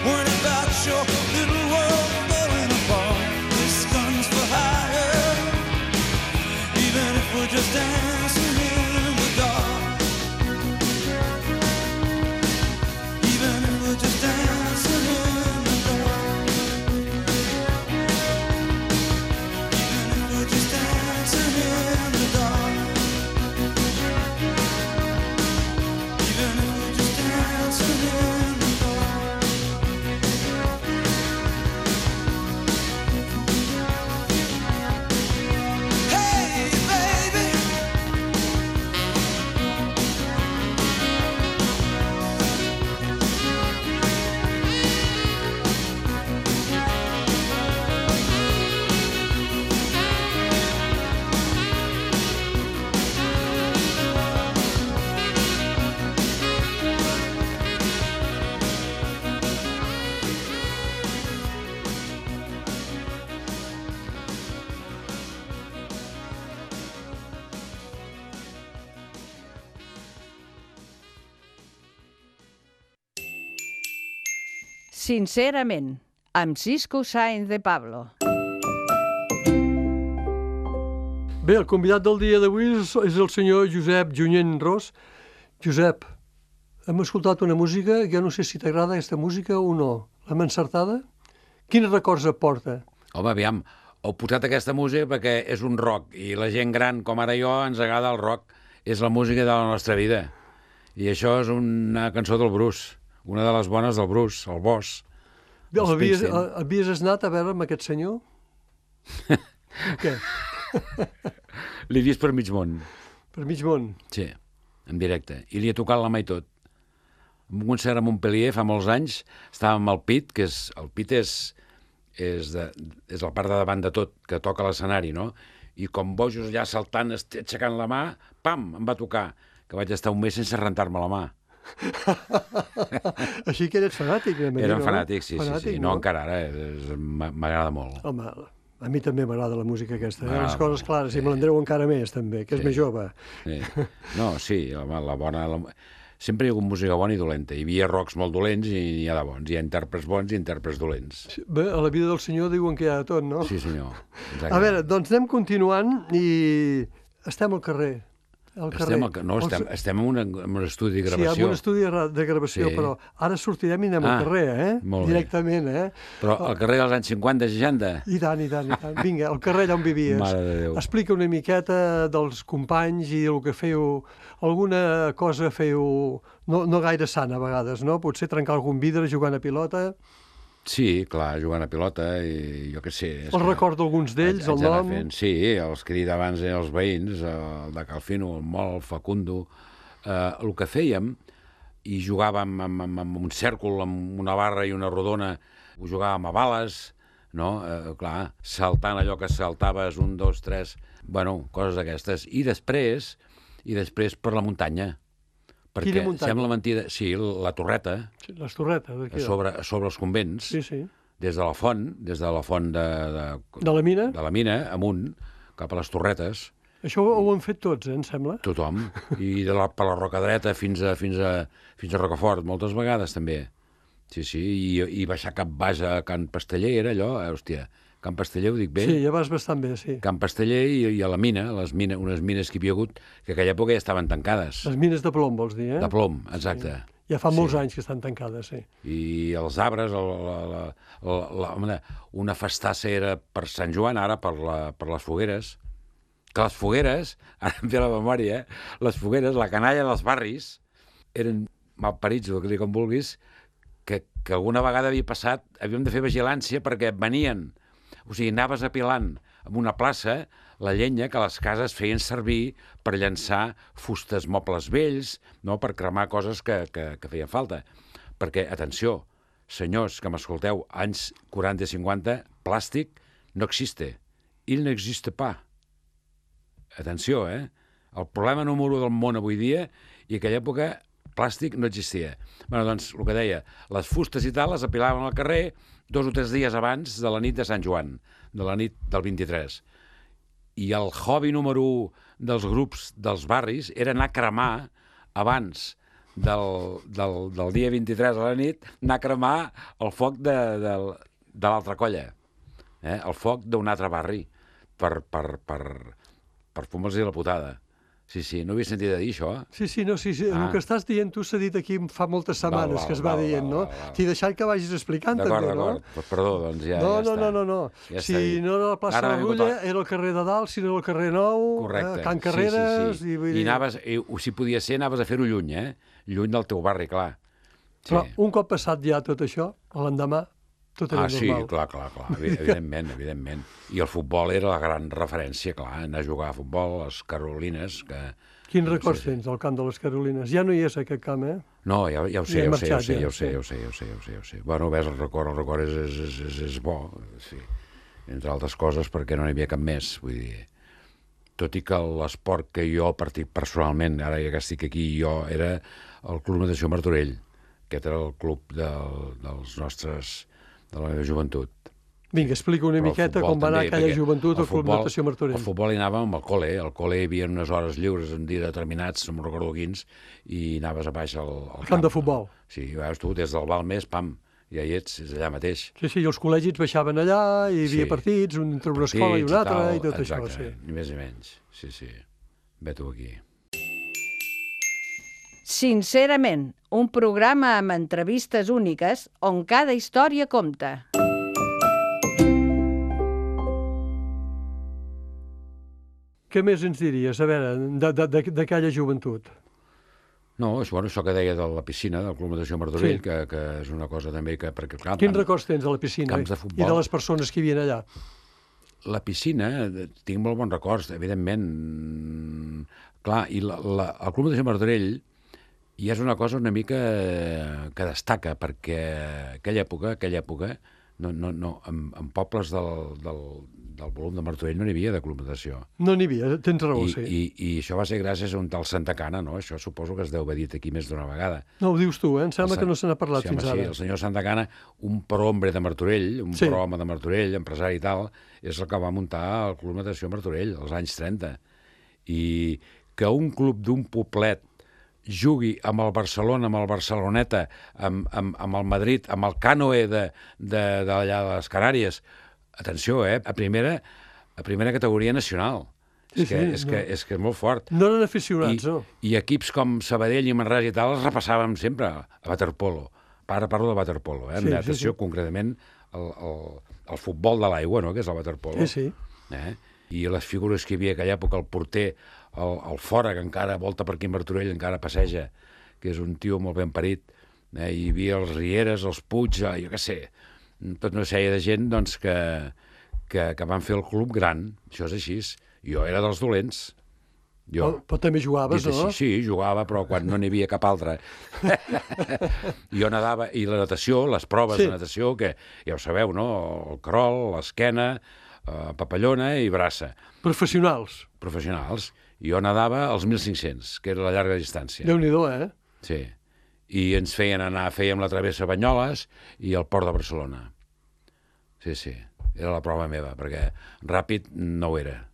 worrying about your little world falling apart. This gun's for hire. Even if we're just dancing in the dark. Even if we're just dancing in the dark. Even if we're just dancing in the dark. Even if we're just dancing in the dark. Hey, baby. Sincerament, amb Cisco Sáenz de Pablo. Bé, el convidat del dia d'avui és, és el senyor Josep Junyent Ros. Josep, hem escoltat una música, jo no sé si t'agrada aquesta música o no. L'hem encertada? Quins records et porta? Home, aviam, heu posat aquesta música perquè és un rock i la gent gran, com ara jo, ens agrada el rock. És la música de la nostra vida. I això és una cançó del Bruce, una de les bones del Bruce, el Boss. Bé, havies, havies anat a veure amb aquest senyor? Què? L'he vist per mig món. Per mig món? Sí, en directe. I li he tocat la mà i tot. En un concert a Montpellier fa molts anys, estàvem al pit, que és, el pit és, és, de, és la part de davant de tot, que toca l'escenari, no? I com bojos allà saltant, aixecant la mà, pam, em va tocar, que vaig estar un mes sense rentar-me la mà. Així que eres fanàtic. Era un fanàtic, sí, fanàtic, sí, sí. No, no encara ara, m'agrada molt. Home, a mi també m'agrada la música aquesta. Eh? Les coses clares, sí. I me l'Andreu encara més, també, que és sí. Més jove. Sí. No, sí, home, la bona... La... Sempre hi ha hagut música bona i dolenta. Hi havia rocks molt dolents i hi ha de bons. Hi ha intèrprets bons i intèrprets dolents. Sí, bé, a la vida del senyor diuen que hi ha de tot, no? Sí, senyor. Exacte. A veure, doncs anem continuant i estem al carrer. Al carrer. Estem, al... no, estem, estem en, una, en un estudi de gravació. Sí, en un estudi de gravació, sí. Però ara sortirem i anem ah, al carrer, eh? Directament, eh? Però al carrer dels anys cinquanta, seixanta? I tant, i tant, i tant. Vinga, al carrer allà on vivies. Mare de Déu. Explica una miqueta dels companys i el que fèieu, alguna cosa fèieu no, no gaire sana a vegades, no? Potser trencar algun vidre jugant a pilota... Sí, clar, jugant a pilota i jo què sé... El record d'alguns d'ells, el nom... Fent, sí, els que he dit abans eren els veïns, el de Calfino, el Mol, el Facundo... Eh, el que fèiem, i jugàvem amb, amb, amb un cèrcol, amb una barra i una rodona, ho jugàvem a bales, no? Eh, clar, saltant allò que saltaves, un, dos, tres... Bueno, coses d'aquestes. I després, i després per la muntanya. Perquè Quina muntanya? Sembla mentida... Sí, la Torreta. Sí, les Torretes. A sobre, a sobre els convents. Sí, sí. Des de la font, des de la font de... De, de la mina? De la mina, amunt, cap a les Torretes. Això ho han fet tots, eh, em sembla? Tothom. I de la, per la Roca Dreta fins a, fins a, fins a Rocafort, moltes vegades també. Sí, sí, i, i baixar cap baix a Can Pasteller, era allò, eh, hòstia... Can Pasteller, ho dic bé? Sí, ja vas bastant bé, sí. Can Pasteller i, i a la mina, les mines, unes mines que hi havia hagut, que a aquella època ja estaven tancades. Les mines de plom, vols dir, eh? De plom, exacte. Sí. Ja fa molts sí. anys que estan tancades, sí. I els arbres, la, la, la, la, la, una festassa era per Sant Joan, ara per, la, per les fogueres. Que les fogueres, ara em ve la memòria, eh? Les fogueres, la canalla dels barris, eren malparits, o que com vulguis, que, que alguna vegada havia passat, havíem de fer vigilància perquè venien. O sigui, anaves apilant en una plaça la llenya que les cases feien servir per llançar fustes, mobles vells, no? Per cremar coses que, que, que feien falta. Perquè, atenció, senyors que m'escolteu, anys quaranta i cinquanta, plàstic no existe. il n'existe pas. Atenció, eh? El problema número un del món avui dia, i en aquella època plàstic no existia. Bé, doncs, el que deia, les fustes i tal les apilaven al carrer dos o tres dies abans de la nit de Sant Joan, de la nit del vint-i-tres. I el hobby número un dels grups dels barris era anar a cremar abans del, del, del dia vint-i-tres a la nit, anar a cremar el foc de, de, de l'altra colla, eh? El foc d'un altre barri, per, per, per, per fumar-los la putada. Sí, sí, no havia sentit a dir això. Sí, sí, no, sí, sí. Ah. El que estàs dient tu s'ha dit aquí fa moltes setmanes Val, val, que es va val, dient, val, no? val, val. T'he deixat que vagis explicant D'acord, també, no? d'acord. Pues perdó, doncs ja, No, ja no, està. no, no, no. Ja Si està dit. no era la plaça Ara de la m'he Rulla, botat. era el carrer de Dalt, si no era el carrer Nou, Correcte. eh, Can Carreres... Sí, sí, sí. I, vull I dir... anaves, i, si podia ser, anaves a fer-ho lluny, eh? Lluny del teu barri, clar. Sí. Però un cop passat ja tot això, l'endemà, tot era Ah, sí, normal. clar, clar, clar, evi- evidentment, evidentment. I el futbol era la gran referència, clar, anar a jugar a futbol, les Carolines, que... Quins records Sí, sí. tens del camp de les Carolines? Ja no hi és aquest camp, eh? No, ja, ja ho sé, Ja he ja ho sé, ja ho marxat, sé, ja, ja ho sé, sí. ja ho sé, ja ho sé, ja ho sé, ja ho sé. Bueno, ves, el record, el record és, és, és, és, és bo, sí. Entre altres coses, perquè no n'hi havia cap més, vull dir... Tot i que l'esport que jo partit personalment, ara ja que estic aquí, jo era el Club Natació Martorell. Aquest era el club del, dels nostres, de la meva joventut. Vinga, explica una Però el miqueta futbol com va anar també, aquella perquè joventut el al Club futbol- Natació Martorell. Al futbol hi anàvem amb el col·le. Al col·le hi havia unes hores lliures en dies determinats, no me'n recordo quins, i anaves a baix al, al Camp de futbol. Sí, veus tu, des del Balmes, pam, ja hi ets, és allà mateix. Sí, sí, i els col·legis baixaven allà, hi havia Sí. partits, un entre una escola i Partits una altra, tal, i tot exacte, això, sí. ni més ni menys. Sí, sí. Ve tu aquí. Sincerament, un programa amb entrevistes úniques on cada història compta. Què més ens diries, a veure, de- de- de- d'aquella joventut? No, és bueno, això que deia de la piscina, del Club Natació Martorell, Sí. que, que és una cosa també que... Perquè, clar, Quins tant- records tens de la piscina camps de i futbol. de les persones que hi havia allà? La piscina, eh, tinc molt bons records, evidentment. Mm, Clar, i la, la, el Club Natació Martorell ja és una cosa una mica que destaca, perquè aquella època, aquella època, no, no, no, en, en pobles del, del, del volum de Martorell no n'hi havia de Club Natació. No n'hi havia, tens raó, I, sí. i, I això va ser gràcies a un tal Santa Cana, no? Això suposo que es deu haver dit aquí més d'una vegada. No, ho dius tu, eh? Em sembla El que no se n'ha parlat sí, home, fins sí, ara. el senyor Santa Cana, un prohombre de Martorell, un Sí. prohome de Martorell, empresari i tal, és el que va muntar el Club Natació Martorell als anys trenta. I que un club d'un poblet jugui amb el Barcelona, amb el Barceloneta, amb, amb, amb el Madrid, amb el Cànoe de, de, d'allà de les Canàries, atenció, eh? A primera, a primera categoria nacional. Sí, és, que, sí, és, no. que, és que és molt fort. No eren aficionats, I, no? I equips com Sabadell i Manresa i tal els repassàvem sempre a waterpolo. Ara parlo de waterpolo, eh? Sí, Sí, sí, natació, sí. concretament el, el, el futbol de l'aigua, no?, que és el waterpolo. Sí, sí. Eh? I les figures que hi havia a aquella època, el porter, el, el fora, que encara volta per aquí a Martorell, encara passeja, que és un tio molt ben parit, eh? Hi havia els Rieres, els Puig, eh, jo què sé, tota una sèrie de gent doncs, que, que, que van fer el club gran, això és així. Jo era dels dolents. Jo, Però, però també jugaves, dit no? així, sí, jugava, però quan no n'hi havia cap altre. Jo nadava, i la natació, les proves Sí. de natació, que ja ho sabeu, no? El crol, l'esquena, eh, papallona i braça. Professionals. Professionals. Jo nadava als mil cinc-cents, que era la llarga distància. Déu-n'hi-do, eh? Sí. I ens feien anar, fèiem la travessa a Banyoles i el port de Barcelona. Sí, sí, era la prova meva, perquè ràpid no ho era.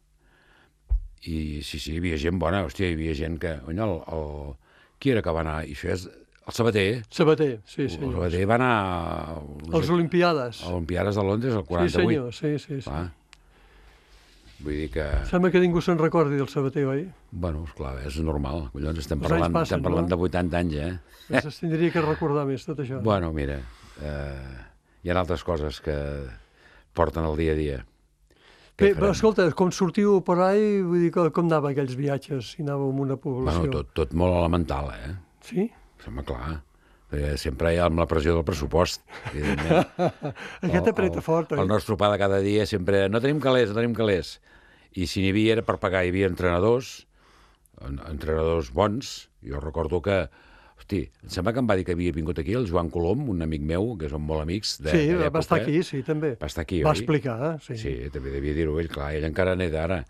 I sí, sí, hi havia gent bona, hòstia, hi havia gent que... Ony, el, el... Qui era que va anar? I això és el Sabater. Sabater, sí, El senyor. Sabater va anar... Els Olimpiades. A Olimpiades de Londres, el Sí, quaranta-vuit. senyor, sí, sí. sí. Clar. Vull dir que... Sembla que ningú se'n recordi del Sabater, oi? Bueno, esclar, és normal. Collons, estem Els parlant, anys passen, estem parlant no? de vuitanta anys, eh? Es tindria que recordar més tot això. Bueno, mira, eh, hi ha altres coses que porten el dia a dia. Bé, Què però farem? escolta, com sortiu per ahí, vull dir, que, com anaven aquells viatges, si anàveu amb una població? Bueno, tot, tot molt elemental, eh? Sí? Home, clar. Perquè sempre hi ha amb la pressió del pressupost, evidentment. Aquest apreta fort, oi? El nostre pa de cada dia sempre... No tenim calés, no tenim calés. I si n'hi havia era per pagar. Hi havia entrenadors, en- entrenadors bons. Jo recordo que Hosti, em sembla que em va dir que havia vingut aquí el Joan Colom, un amic meu, que som molt amics de, Sí, de va estar aquí, sí, també. Va estar aquí, Va oi? explicar, sí. Sí, també devia dir-ho ell, clar, ell encara n'és d'ara.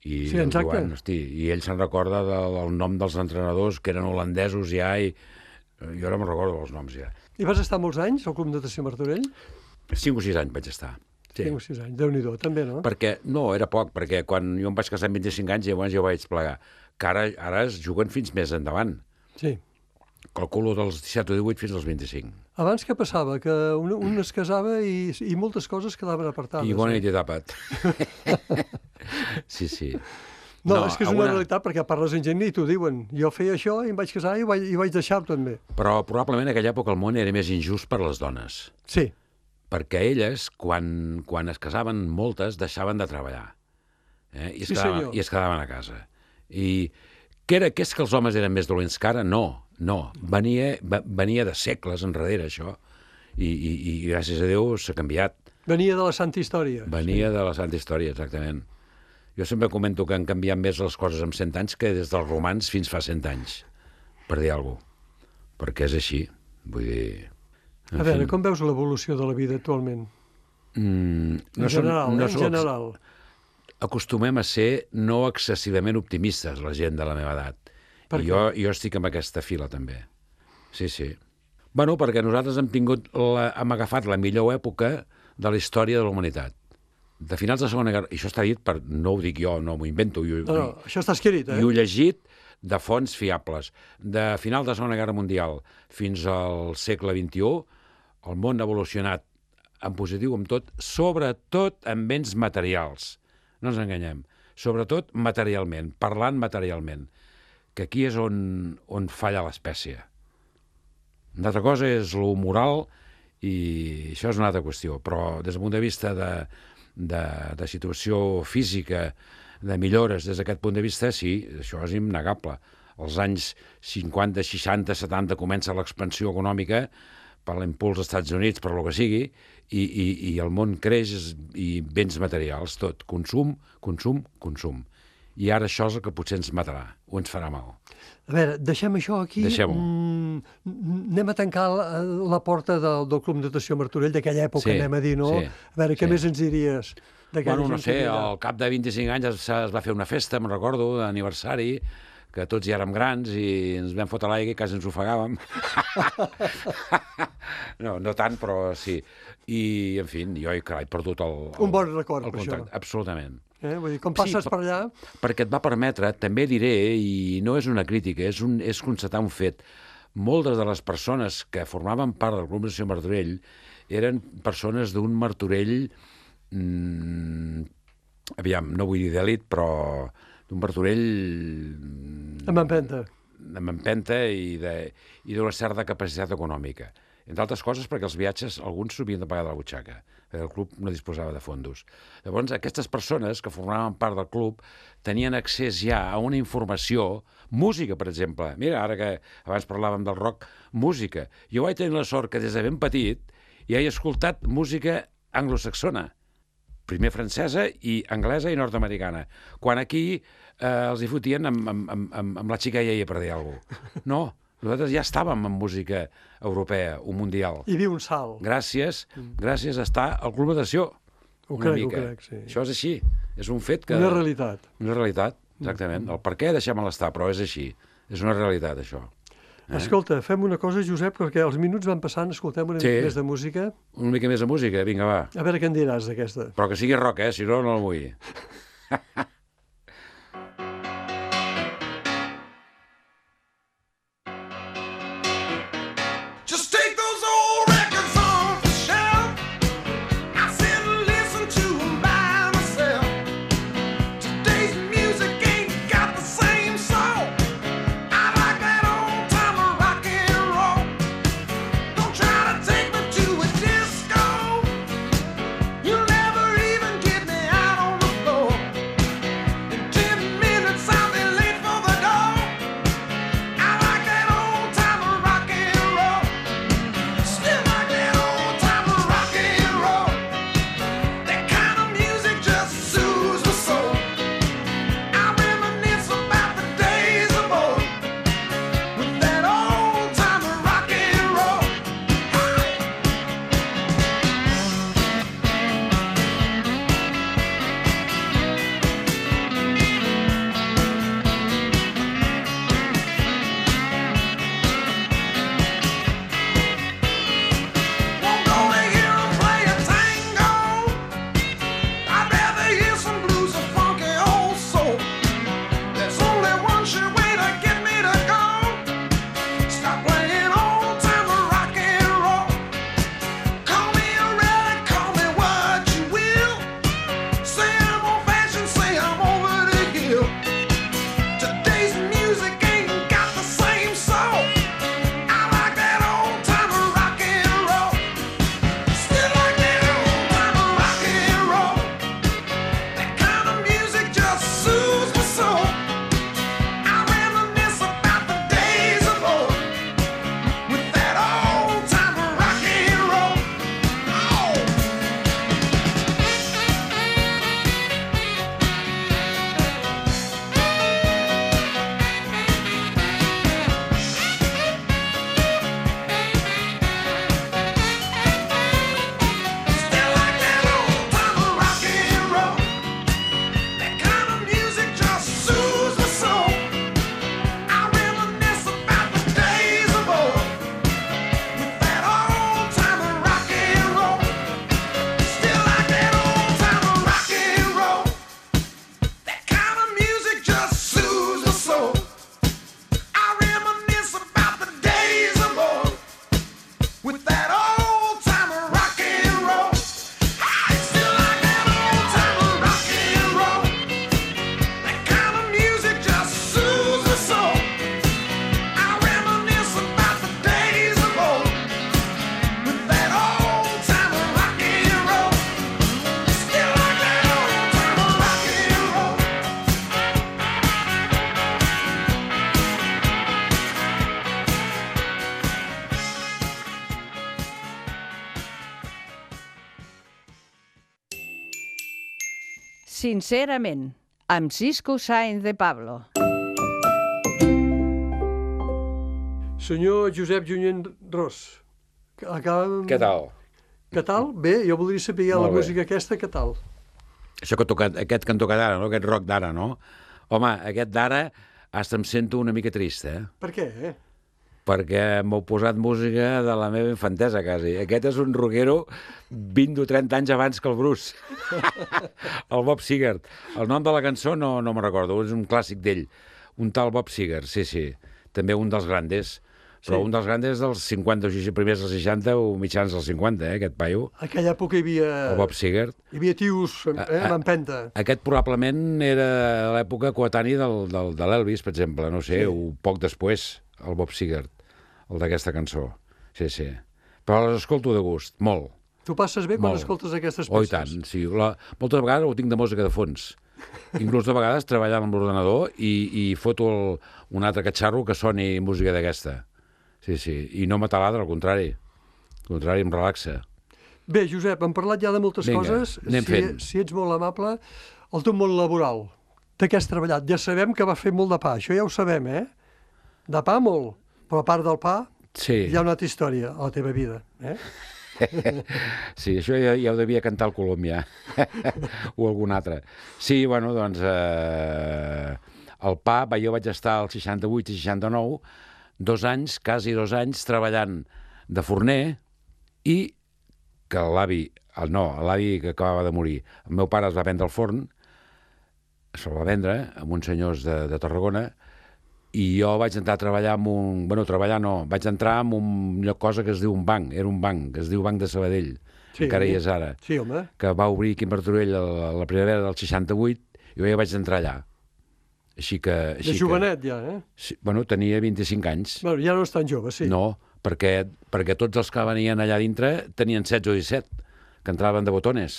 I Sí, el exacte. Joan, hosti, i ell se'n recorda del, del nom dels entrenadors, que eren holandesos ja, i jo ara me'n recordo dels noms ja. I vas estar molts anys al Club Natació Martorell? Cinc o sis anys vaig estar. Sí. Cinc o sis anys, Déu-n'hi-do, també, no? Perquè, no, era poc, perquè quan jo em vaig casar amb vint-i-cinc anys, llavors jo vaig plegar. Que ara, ara es juguen fins més endavant. Sí. Calculo dels disset o divuit fins als vint-i-cinc. Abans què passava? Que un, un es casava i, i moltes coses quedaven apartades. I bona eh? nit i tapat. Sí, sí. No, No, és que és alguna- una realitat, perquè parles amb gent i t'ho diuen. Jo feia això i em vaig casar i ho vaig, i ho vaig deixar també. Però probablement en aquella època el món era més injust per les dones. Sí, Perquè elles, quan, quan es casaven moltes, deixaven de treballar. Eh? I, es Sí, quedaven, senyor. I es quedaven a casa. I què, era, què és que els homes eren més dolents que ara? No, no. Venia, va, venia de segles enrere, això. I, i, i gràcies a Déu s'ha canviat. venia de la Santa Història. Venia de la Santa Història, exactament. Jo sempre comento que han canviat més les coses en cent anys que des dels romans fins fa cent anys, per dir alguna cosa. Perquè és així. Vull dir... en A veure, fi. com veus l'evolució de la vida actualment? Mm, En general, som- eh? En som- general. Acostumem a ser no excessivament optimistes, la gent de la meva edat. Per I què? jo, jo estic en aquesta fila, també. Sí, sí. Bueno, perquè nosaltres hem tingut la, hem agafat la millor època de la història de la humanitat. De finals de la Segona Guerra... I això està dit, per, no ho dic jo, no m'ho invento. Jo, No, no, això està escrit, eh? I ho he llegit de fonts fiables. De final de la Segona Guerra Mundial fins al segle vint-i-u, el món ha evolucionat en positiu amb tot, sobretot en béns materials. No ens enganyem. Sobretot materialment, parlant materialment. Que aquí és on, on falla l'espècie. Una altra cosa és lo moral i això és una altra qüestió. Però des del punt de vista de, de, de situació física, de millores des d'aquest punt de vista, sí, això és innegable. Als anys cinquanta, seixanta, setanta comença l'expansió econòmica per l'impuls dels Estats Units, per lo que sigui, i, i, i el món creix i béns materials, tot. Consum, consum, consum. I ara això és el que potser ens matarà, o ens farà mal. A veure, deixem això aquí. Deixem-ho. Mm, anem a tancar la, la porta del, del Club Natació Martorell d'aquella època, Sí, anem a dir, no? sí, A veure, què sí. més ens diries d'aquella Bueno, no gent que sé, hi havia? al cap de vint-i-cinc anys es, es va fer una festa, me'n recordo, d'aniversari, que tots hi érem grans i ens vam fotre a l'aigua i quasi ens ofegàvem. No, no tant, però sí. I, en fi, jo he, carai, perdut el, el... Un bon record, el per contacte. això. Absolutament. Eh? Vull dir, com Sí, passes per- per allà... Perquè et va permetre, també diré, i no és una crítica, és, un, és constatar un fet, moltes de les persones que formaven part del Club Natació Martorell eren persones d'un Martorell, mmm, aviam, no vull dir d'elit, però d'un Martorell... Amb empenta. amb empenta i de- i d'una certa capacitat econòmica. Entre altres coses perquè els viatges, alguns s'ho havien de pagar de la butxaca, perquè el club no disposava de fondos. Llavors, aquestes persones que formaven part del club tenien accés ja a una informació, música, per exemple. Mira, ara que abans parlàvem del rock, música. Jo vaig tenir la sort que des de ben petit ja he escoltat música anglosaxona, primer francesa i anglesa i nord-americana. Quan aquí eh, els hi fotien amb, amb, amb, amb, amb la xica iaia, per dir alguna cosa. No, nosaltres ja estàvem en música europea o mundial. Hi havia un salt. Gràcies, gràcies a estar al Club Natació. Ho Una crec, ho mica. crec, sí. Això és així. És un fet que... Una realitat. Una realitat, exactament. El per què deixem l'estar, però és així. És una realitat, això. Eh? Escolta, fem una cosa, Josep, perquè els minuts van passant, escoltem una Sí. mica més de música. Una mica més de música, vinga, va. A veure què en diràs d'aquesta. Però que sigui rock, eh? Si no, no el vull. Just take those old records off the shelf. I sit and listen to 'em by myself. Today's music ain't got the same soul. I like that old time rock and roll. Don't try to take me to a disco. You'll never even get me out on the floor. Say I'm old fashioned, say I'm over the hill. Today's music ain't got the same soul. I like that old time rock and roll. Still like that old time rock and roll. That kind of music just soothes my soul. I reminisce about the days of old with that old time rock and roll. Oh. Still like that old time rock and roll. That kind of music just soothes my soul. I reminisce about the days of old with that old time rock and roll. Still like that old time rock and roll. That kind of music just soothes my soul. I reminisce about the days of old with that old time rock and roll. I still like that old time rock and roll. That kind of music just soothes my soul. I reminisce about the days of old with that old time rock and roll. Still like that old time rock and roll. Sincerament, amb Cisco Sáenz de Pablo. Senyor Josep Junyent Ros, acabem... Què tal? Què tal? Bé, jo voldria saber la Molt bé. música aquesta, què tal? Això que toca, aquest que han tocat ara, no? Aquest rock d'ara, no? Home, aquest d'ara hasta em sento una mica trist, eh? Per què, eh? Perquè m'heu posat música de la meva infantesa, quasi. Aquest és un rockero vint o trenta anys abans que el Bruce. El Bob Seger. El nom de la cançó no, no me'n recordo, és un clàssic d'ell. Un tal Bob Seger, sí, sí. També un dels grandes. Però Sí. un dels grandes dels cinquanta, o primers dels seixanta o mitjans dels cinquanta, eh, aquest paio. A aquella època hi havia, El Bob Seger. hi havia tios eh, amb empenta. Aquest probablement era a l'època coetani del, del, de l'Elvis, per exemple, no sé, Sí. o poc després, el Bob Seger, el d'aquesta cançó. Sí, sí. Però les escolto de gust, molt. Tu passes bé quan Molt. escoltes aquestes Oh, i peces? tant, sí. La, moltes vegades ho tinc de música de fons. Inclús de vegades treballant amb l'ordenador i, i foto el, un altre catxarro que soni música d'aquesta. Sí, sí. I no m'ataladra, al contrari. Al contrari, em relaxa. Bé, Josep, hem parlat ja de moltes Vinga, coses. anem si, fent. si ets molt amable, el teu món laboral, de què has treballat? Ja sabem que vas fer molt de pa, això ja ho sabem, eh? De pa molt, però a part del pa Sí. hi ha una altra història a la teva vida, eh? Sí, això ja, ja ho devia cantar el Colom, ja. O algun altre. Sí, bueno, doncs... Eh, el pa, va, jo vaig estar al seixanta-vuit i seixanta-nou, dos anys, quasi dos anys, treballant de forner i que l'avi, el no, l'avi que acabava de morir, el meu pare es va vendre el forn, se'l va vendre amb uns senyors de, de Tarragona, i jo vaig entrar a treballar en un... Bueno, treballar no, vaig entrar en un lloc cosa que es diu un banc, era un banc, que es diu Banc de Sabadell, Sí. encara hi és ara, Sí, home. que va obrir aquí a Martorell a la, la primavera del seixanta-vuit, i jo ja vaig entrar allà. Així que... Així De jovenet, ja, eh? Que, sí, bueno, tenia vint-i-cinc anys. Bueno, ja no és tan jove, sí. No, perquè, perquè tots els que venien allà dintre tenien setze o disset, que entraven de botones,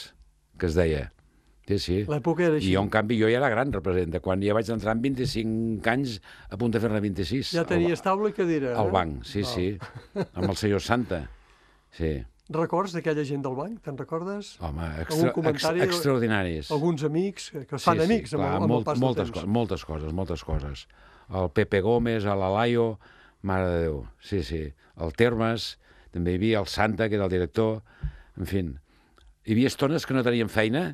que es deia. Sí, sí. L'època era així. I jo, en canvi, jo ja era gran, representa. Quan ja vaig entrar amb vint-i-cinc anys, a punt de fer-ne vint-i-sis. Ja tenies taula i cadira. Al eh? banc, sí, Val. sí. Amb el senyor Santa. Sí. Records d'aquella gent del banc? Te'n recordes? Home, Algun extra, ex, comentari? extraordinaris. Alguns amics que que es fan amics amb, clar, el, amb molt, el pas del moltes, temps. co moltes coses, moltes coses. El Pepe Gómez, l'Alaio, mare de Déu, sí, sí. El Termes, també hi havia el Santa, que era el director, en fi. Hi havia estones que no tenien feina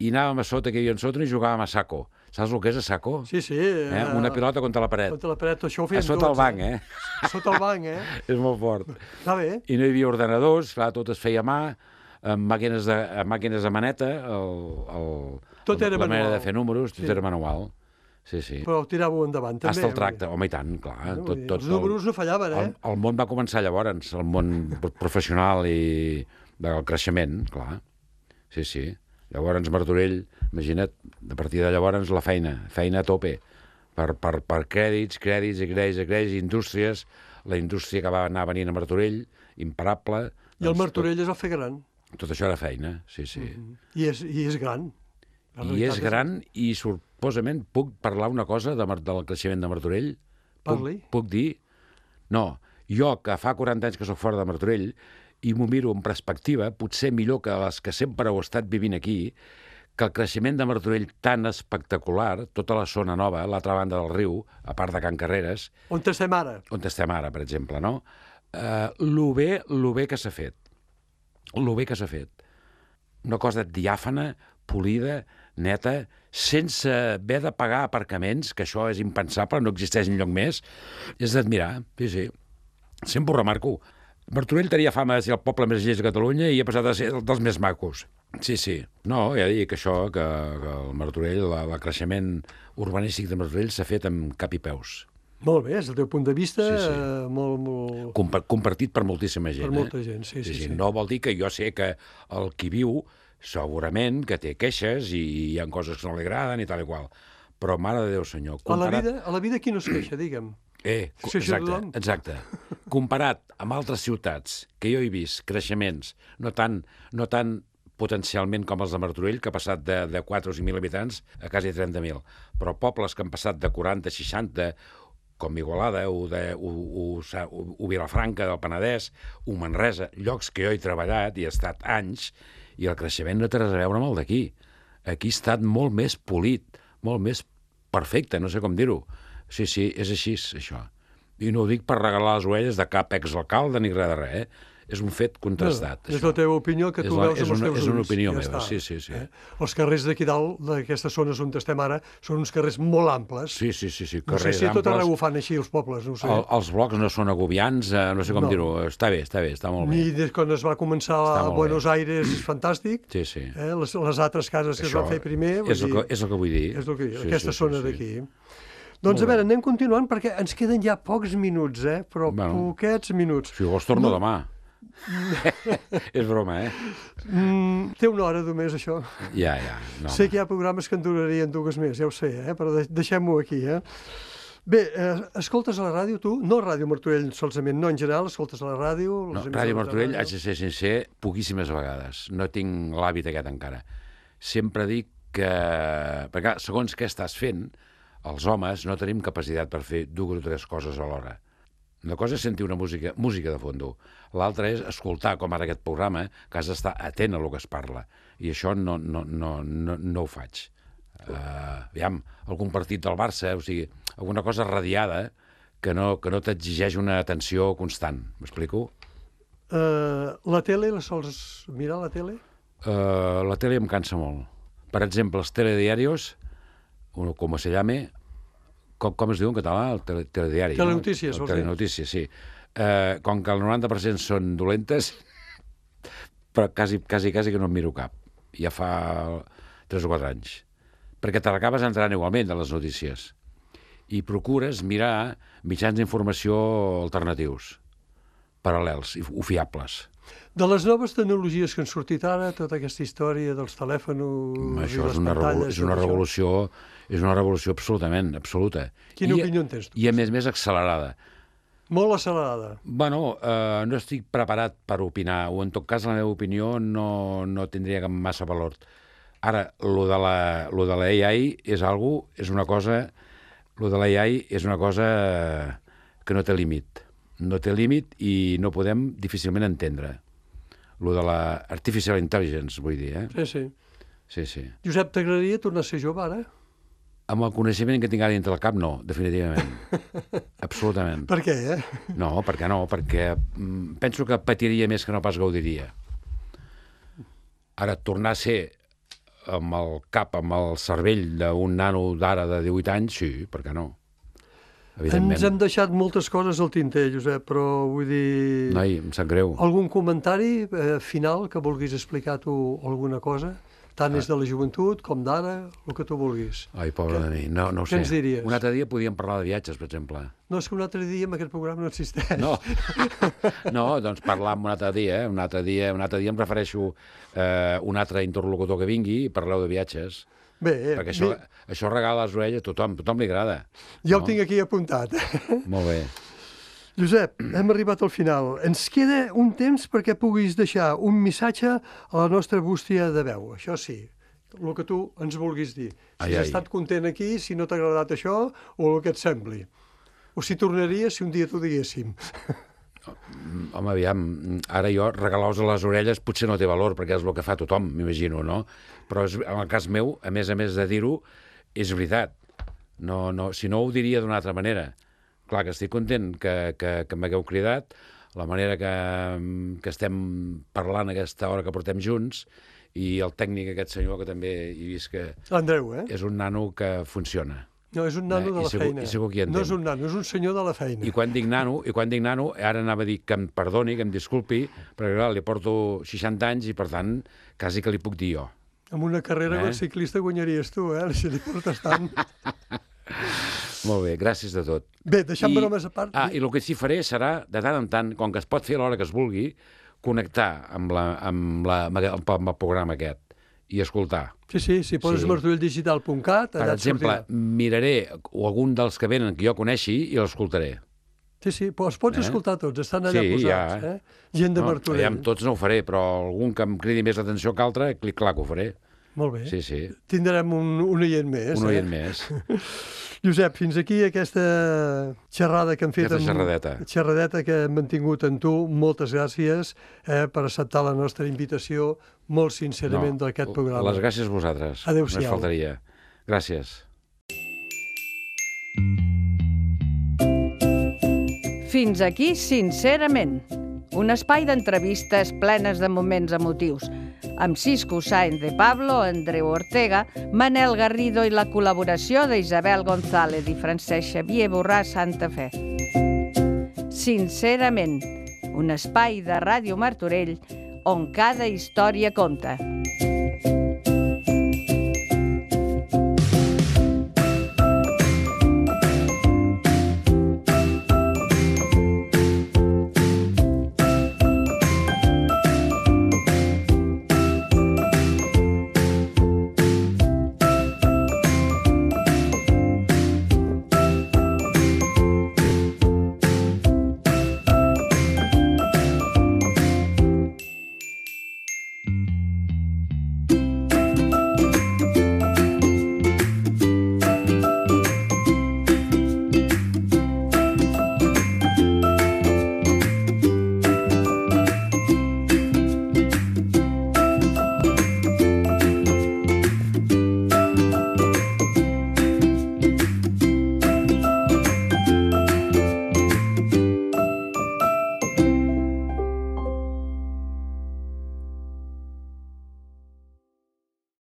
i anàvem a sota, que hi havia sota, i jugàvem a saco. Saps el que és a saco? Sí, sí. Eh? Una pilota contra la paret. Contra la paret, això ho A feien sota el tots, banc, eh? Sota el banc, eh? És molt fort. Està bé. I no hi havia ordenadors, clar, tot es feia a mà, amb màquines de, amb màquines de maneta, el, el, Tot era la manera manual. de fer números, tot Sí. era manual. Sí, sí. Però ho tiràveu endavant, també. Hasta el vull tracte, dir. home, i tant, clar. Vull Tot, dir, tot, els números no fallaven, eh? el, el món va començar llavors, el món professional i del creixement, clar. Sí, sí. Llavors Martorell, imagina't, a partir de llavors la feina, feina a tope, per, per, per crèdits, crèdits i crèdits i crèdits, indústries, la indústria que va anar venint a Martorell, imparable. I el Martorell tot, es va fer gran. Tot això era feina, sí, sí. Mm-hmm. I, és, I és gran. I és gran és... i suposament puc parlar una cosa de, del creixement de Martorell? Parli. Puc, puc dir? No, jo que fa quaranta anys que soc fora de Martorell i m'ho miro en perspectiva, potser millor que les que sempre heu estat vivint aquí, que el creixement de Martorell tan espectacular, tota la zona nova, l'altra banda del riu, a part de Can Carreres... On estem ara? On estem ara, per exemple, no? Uh, lo bé, lo bé que s'ha fet. Lo bé que s'ha fet. Una cosa diàfana, polida, neta, sense haver de pagar aparcaments, que això és impensable, no existeix enlloc més, és d'admirar, sí, sí. Sempre ho remarco. Martorell tenia fama de ser el poble més llest de Catalunya i ha passat a ser dels més macos. Sí, sí. No, ja dic això, que, que el Martorell, la, el creixement urbanístic de Martorell s'ha fet amb cap i peus. Molt bé, és el teu punt de vista, sí, sí. Eh, molt, molt... Compa compartit per moltíssima gent. Per molta eh? gent, sí, sí, sí, sí, sí. No vol dir que jo sé que el qui viu, segurament que té queixes i hi ha coses que no li agraden i tal i qual. Però, mare de Déu, senyor... A, Comparat... la vida, a la vida qui no es queixa, digue'm? Eh, exacte, exacte. Comparat amb altres ciutats que jo he vist creixements, no tan, no tan potencialment com els de Martorell, que ha passat de, de quatre o cinc mil habitants a quasi trenta mil, però pobles que han passat de quaranta a seixanta, com Igualada o, de, o, o, o, o Vilafranca del Penedès, o Manresa, llocs que jo he treballat i he estat anys, i el creixement no té res a veure amb el d'aquí. Aquí ha estat molt més polit, molt més perfecte, no sé com dir-ho. Sí, sí, és així, això. I no ho dic per regalar les orelles de cap exalcalde ni res de res, eh? És un fet contrastat. No, és la teva opinió que tu la, veus amb els una, teus ulls. És una opinió ja meva, està, sí, sí, sí. Eh? Els carrers d'aquí dalt, d'aquestes zones on estem ara, són uns carrers molt amples. Sí, sí, sí, sí, no sé si a tot arreu ho fan així, els pobles, no ho sé. El, els blocs no són agobiants, eh, no sé com no. dir-ho. Està bé, està bé, està molt bé. Ni des quan es va començar a Buenos bé. Aires, és fantàstic. Sí, sí. Eh? Les, les altres cases que Això es van fer primer... És el, que, és el que vull dir. És el que vull dir, sí, aquestes sí, zones sí, d'aquí. Sí. Doncs, a veure, anem continuant, perquè ens queden ja pocs minuts, eh? Però bueno, poquets minuts. Si vols, torno no. demà. És broma, eh? Mm, té una hora només, això. Ja, ja. No, sé que hi ha programes que en durarien dues més, ja ho sé, eh? Però deixem-ho aquí, eh? Bé, eh, escoltes a la ràdio, tu? No a Ràdio Martorell solament, no en general, escoltes a la ràdio... No, Ràdio Martorell, haig de ser sincer, poquíssimes vegades. No tinc l'hàbit aquest encara. Sempre dic que... Perquè, segons què estàs fent, els homes no tenim capacitat per fer dues o tres coses alhora. Una cosa és sentir una música, música de fondo. L'altra és escoltar, com ara aquest programa, que has d'estar atent a el que es parla. I això no, no, no, no, no ho faig. Uh, aviam, algun partit del Barça, o sigui, alguna cosa radiada que no, que no t'exigeix una atenció constant. M'explico? Uh, la tele, la sols mirar la tele? Uh, la tele em cansa molt. Per exemple, els telediarios, com se llame, com, com es diu en català? El tele, telediari. Telenotícies, no? El telenotícies, sí. Eh, com que el noranta per cent són dolentes, però quasi, quasi, quasi que no en miro cap. Ja fa tres o quatre anys. Perquè te l'acabes entrant igualment de les notícies. I procures mirar mitjans d'informació alternatius, paral·lels o fiables. De les noves tecnologies que han sortit ara, tota aquesta història dels telèfons això i les és una pantalles... És una revolució, és una revolució absolutament, absoluta. Quina I, opinió en tens tu? I a més més accelerada. Molt accelerada. Bueno, eh, no estic preparat per opinar, o en tot cas la meva opinió no, no tindria cap massa valor. Ara, lo de la, lo de la A I és algo, és una cosa... Lo de la A I és una cosa que no té límit. No té límit i no podem difícilment entendre. Lo de la artificial intelligence, vull dir, eh? Sí, sí. Sí, sí. Josep, t'agradaria tornar a ser jove, ara? Amb el coneixement que tinc ara dintre el cap, no, definitivament. Absolutament. Per què, eh? No, per què no? Perquè mm, penso que patiria més que no pas gaudiria. Ara, tornar a ser amb el cap, amb el cervell d'un nano d'ara de divuit anys, sí, per què no? Evidentment. Ens hem deixat moltes coses al tinter, Josep, però vull dir... Noi, em sap greu. Algun comentari eh, final que vulguis explicar tu alguna cosa? Tant és de la joventut com d'ara, el que tu vulguis. Ai, pobre de mi, no, no ho Què sé. ens diries? Un altre dia podíem parlar de viatges, per exemple. No, és que un altre dia en aquest programa no existeix. No, no, doncs parlar un altre dia, eh? un altre dia, un altre dia em refereixo eh, un altre interlocutor que vingui i parleu de viatges. Bé, Perquè això, bé, això regala les orelles a tothom, a tothom li agrada. ja no? ho tinc aquí apuntat. Molt bé. Josep, hem arribat al final. Ens queda un temps perquè puguis deixar un missatge a la nostra bústia de veu. Això sí, el que tu ens vulguis dir. Si Ai, has ai. estat content aquí, si no t'ha agradat això, o el que et sembli. O si tornaries si un dia t'ho diguéssim. Home, aviam, ara jo regalar-vos a les orelles potser no té valor, perquè és el que fa tothom, m'imagino, no? Però és, en el cas meu, a més a més de dir-ho, és veritat. No, no, si no, ho diria d'una altra manera. Clar que estic content que, que, que m'hagueu cridat, la manera que, que estem parlant aquesta hora que portem junts, i el tècnic, aquest senyor, que també he vist que L'Andreu, eh? és un nano que funciona. No, és un nano Eh, de i la segur- feina. i segur que hi No entén. és un nano, és un senyor de la feina. I quan dic nano, i quan dic nano, ara anava a dir que em perdoni, que em disculpi, perquè clar, li porto seixanta anys i, per tant, quasi que li puc dir jo. Amb una carrera Eh? eh? ciclista guanyaries tu, eh? Si li portes tant. Molt bé, gràcies de tot. Bé, deixant bromes a part... Ah, i el que sí faré serà, de tant en tant, com que es pot fer a l'hora que es vulgui, connectar amb, la, amb, la, amb el programa aquest i escoltar. Sí, sí, si poses Sí. sí. martorell digital punt cat, Per allà et exemple, sortirà. miraré o algun dels que venen que jo coneixi i l'escoltaré. Sí, sí, però els pots Eh? escoltar tots, estan allà Sí, posats. ja. Eh? Gent de No, Martorell. aviam, tots no ho faré, però algun que em cridi més l'atenció que altre, clic, clar que ho faré. Molt bé. Sí, sí, Tindrem un, un oient més. un oient eh? més. Josep, fins aquí aquesta xerrada que hem fet. Aquesta amb- xerradeta. Xerradeta que hem mantingut amb tu. Moltes gràcies eh, per acceptar la nostra invitació molt sincerament No, d'aquest programa. Les gràcies a vosaltres. Adéu-siau. Només faltaria. Gràcies. Fins aquí, sincerament. Un espai d'entrevistes plenes de moments emotius, amb Cisco Sáenz de Pablo, Andreu Ortega, Manel Garrido i la col·laboració d'Isabel González i Francesc Xavier Borràs Santa Fe. Sincerament, un espai de Ràdio Martorell on cada història compta.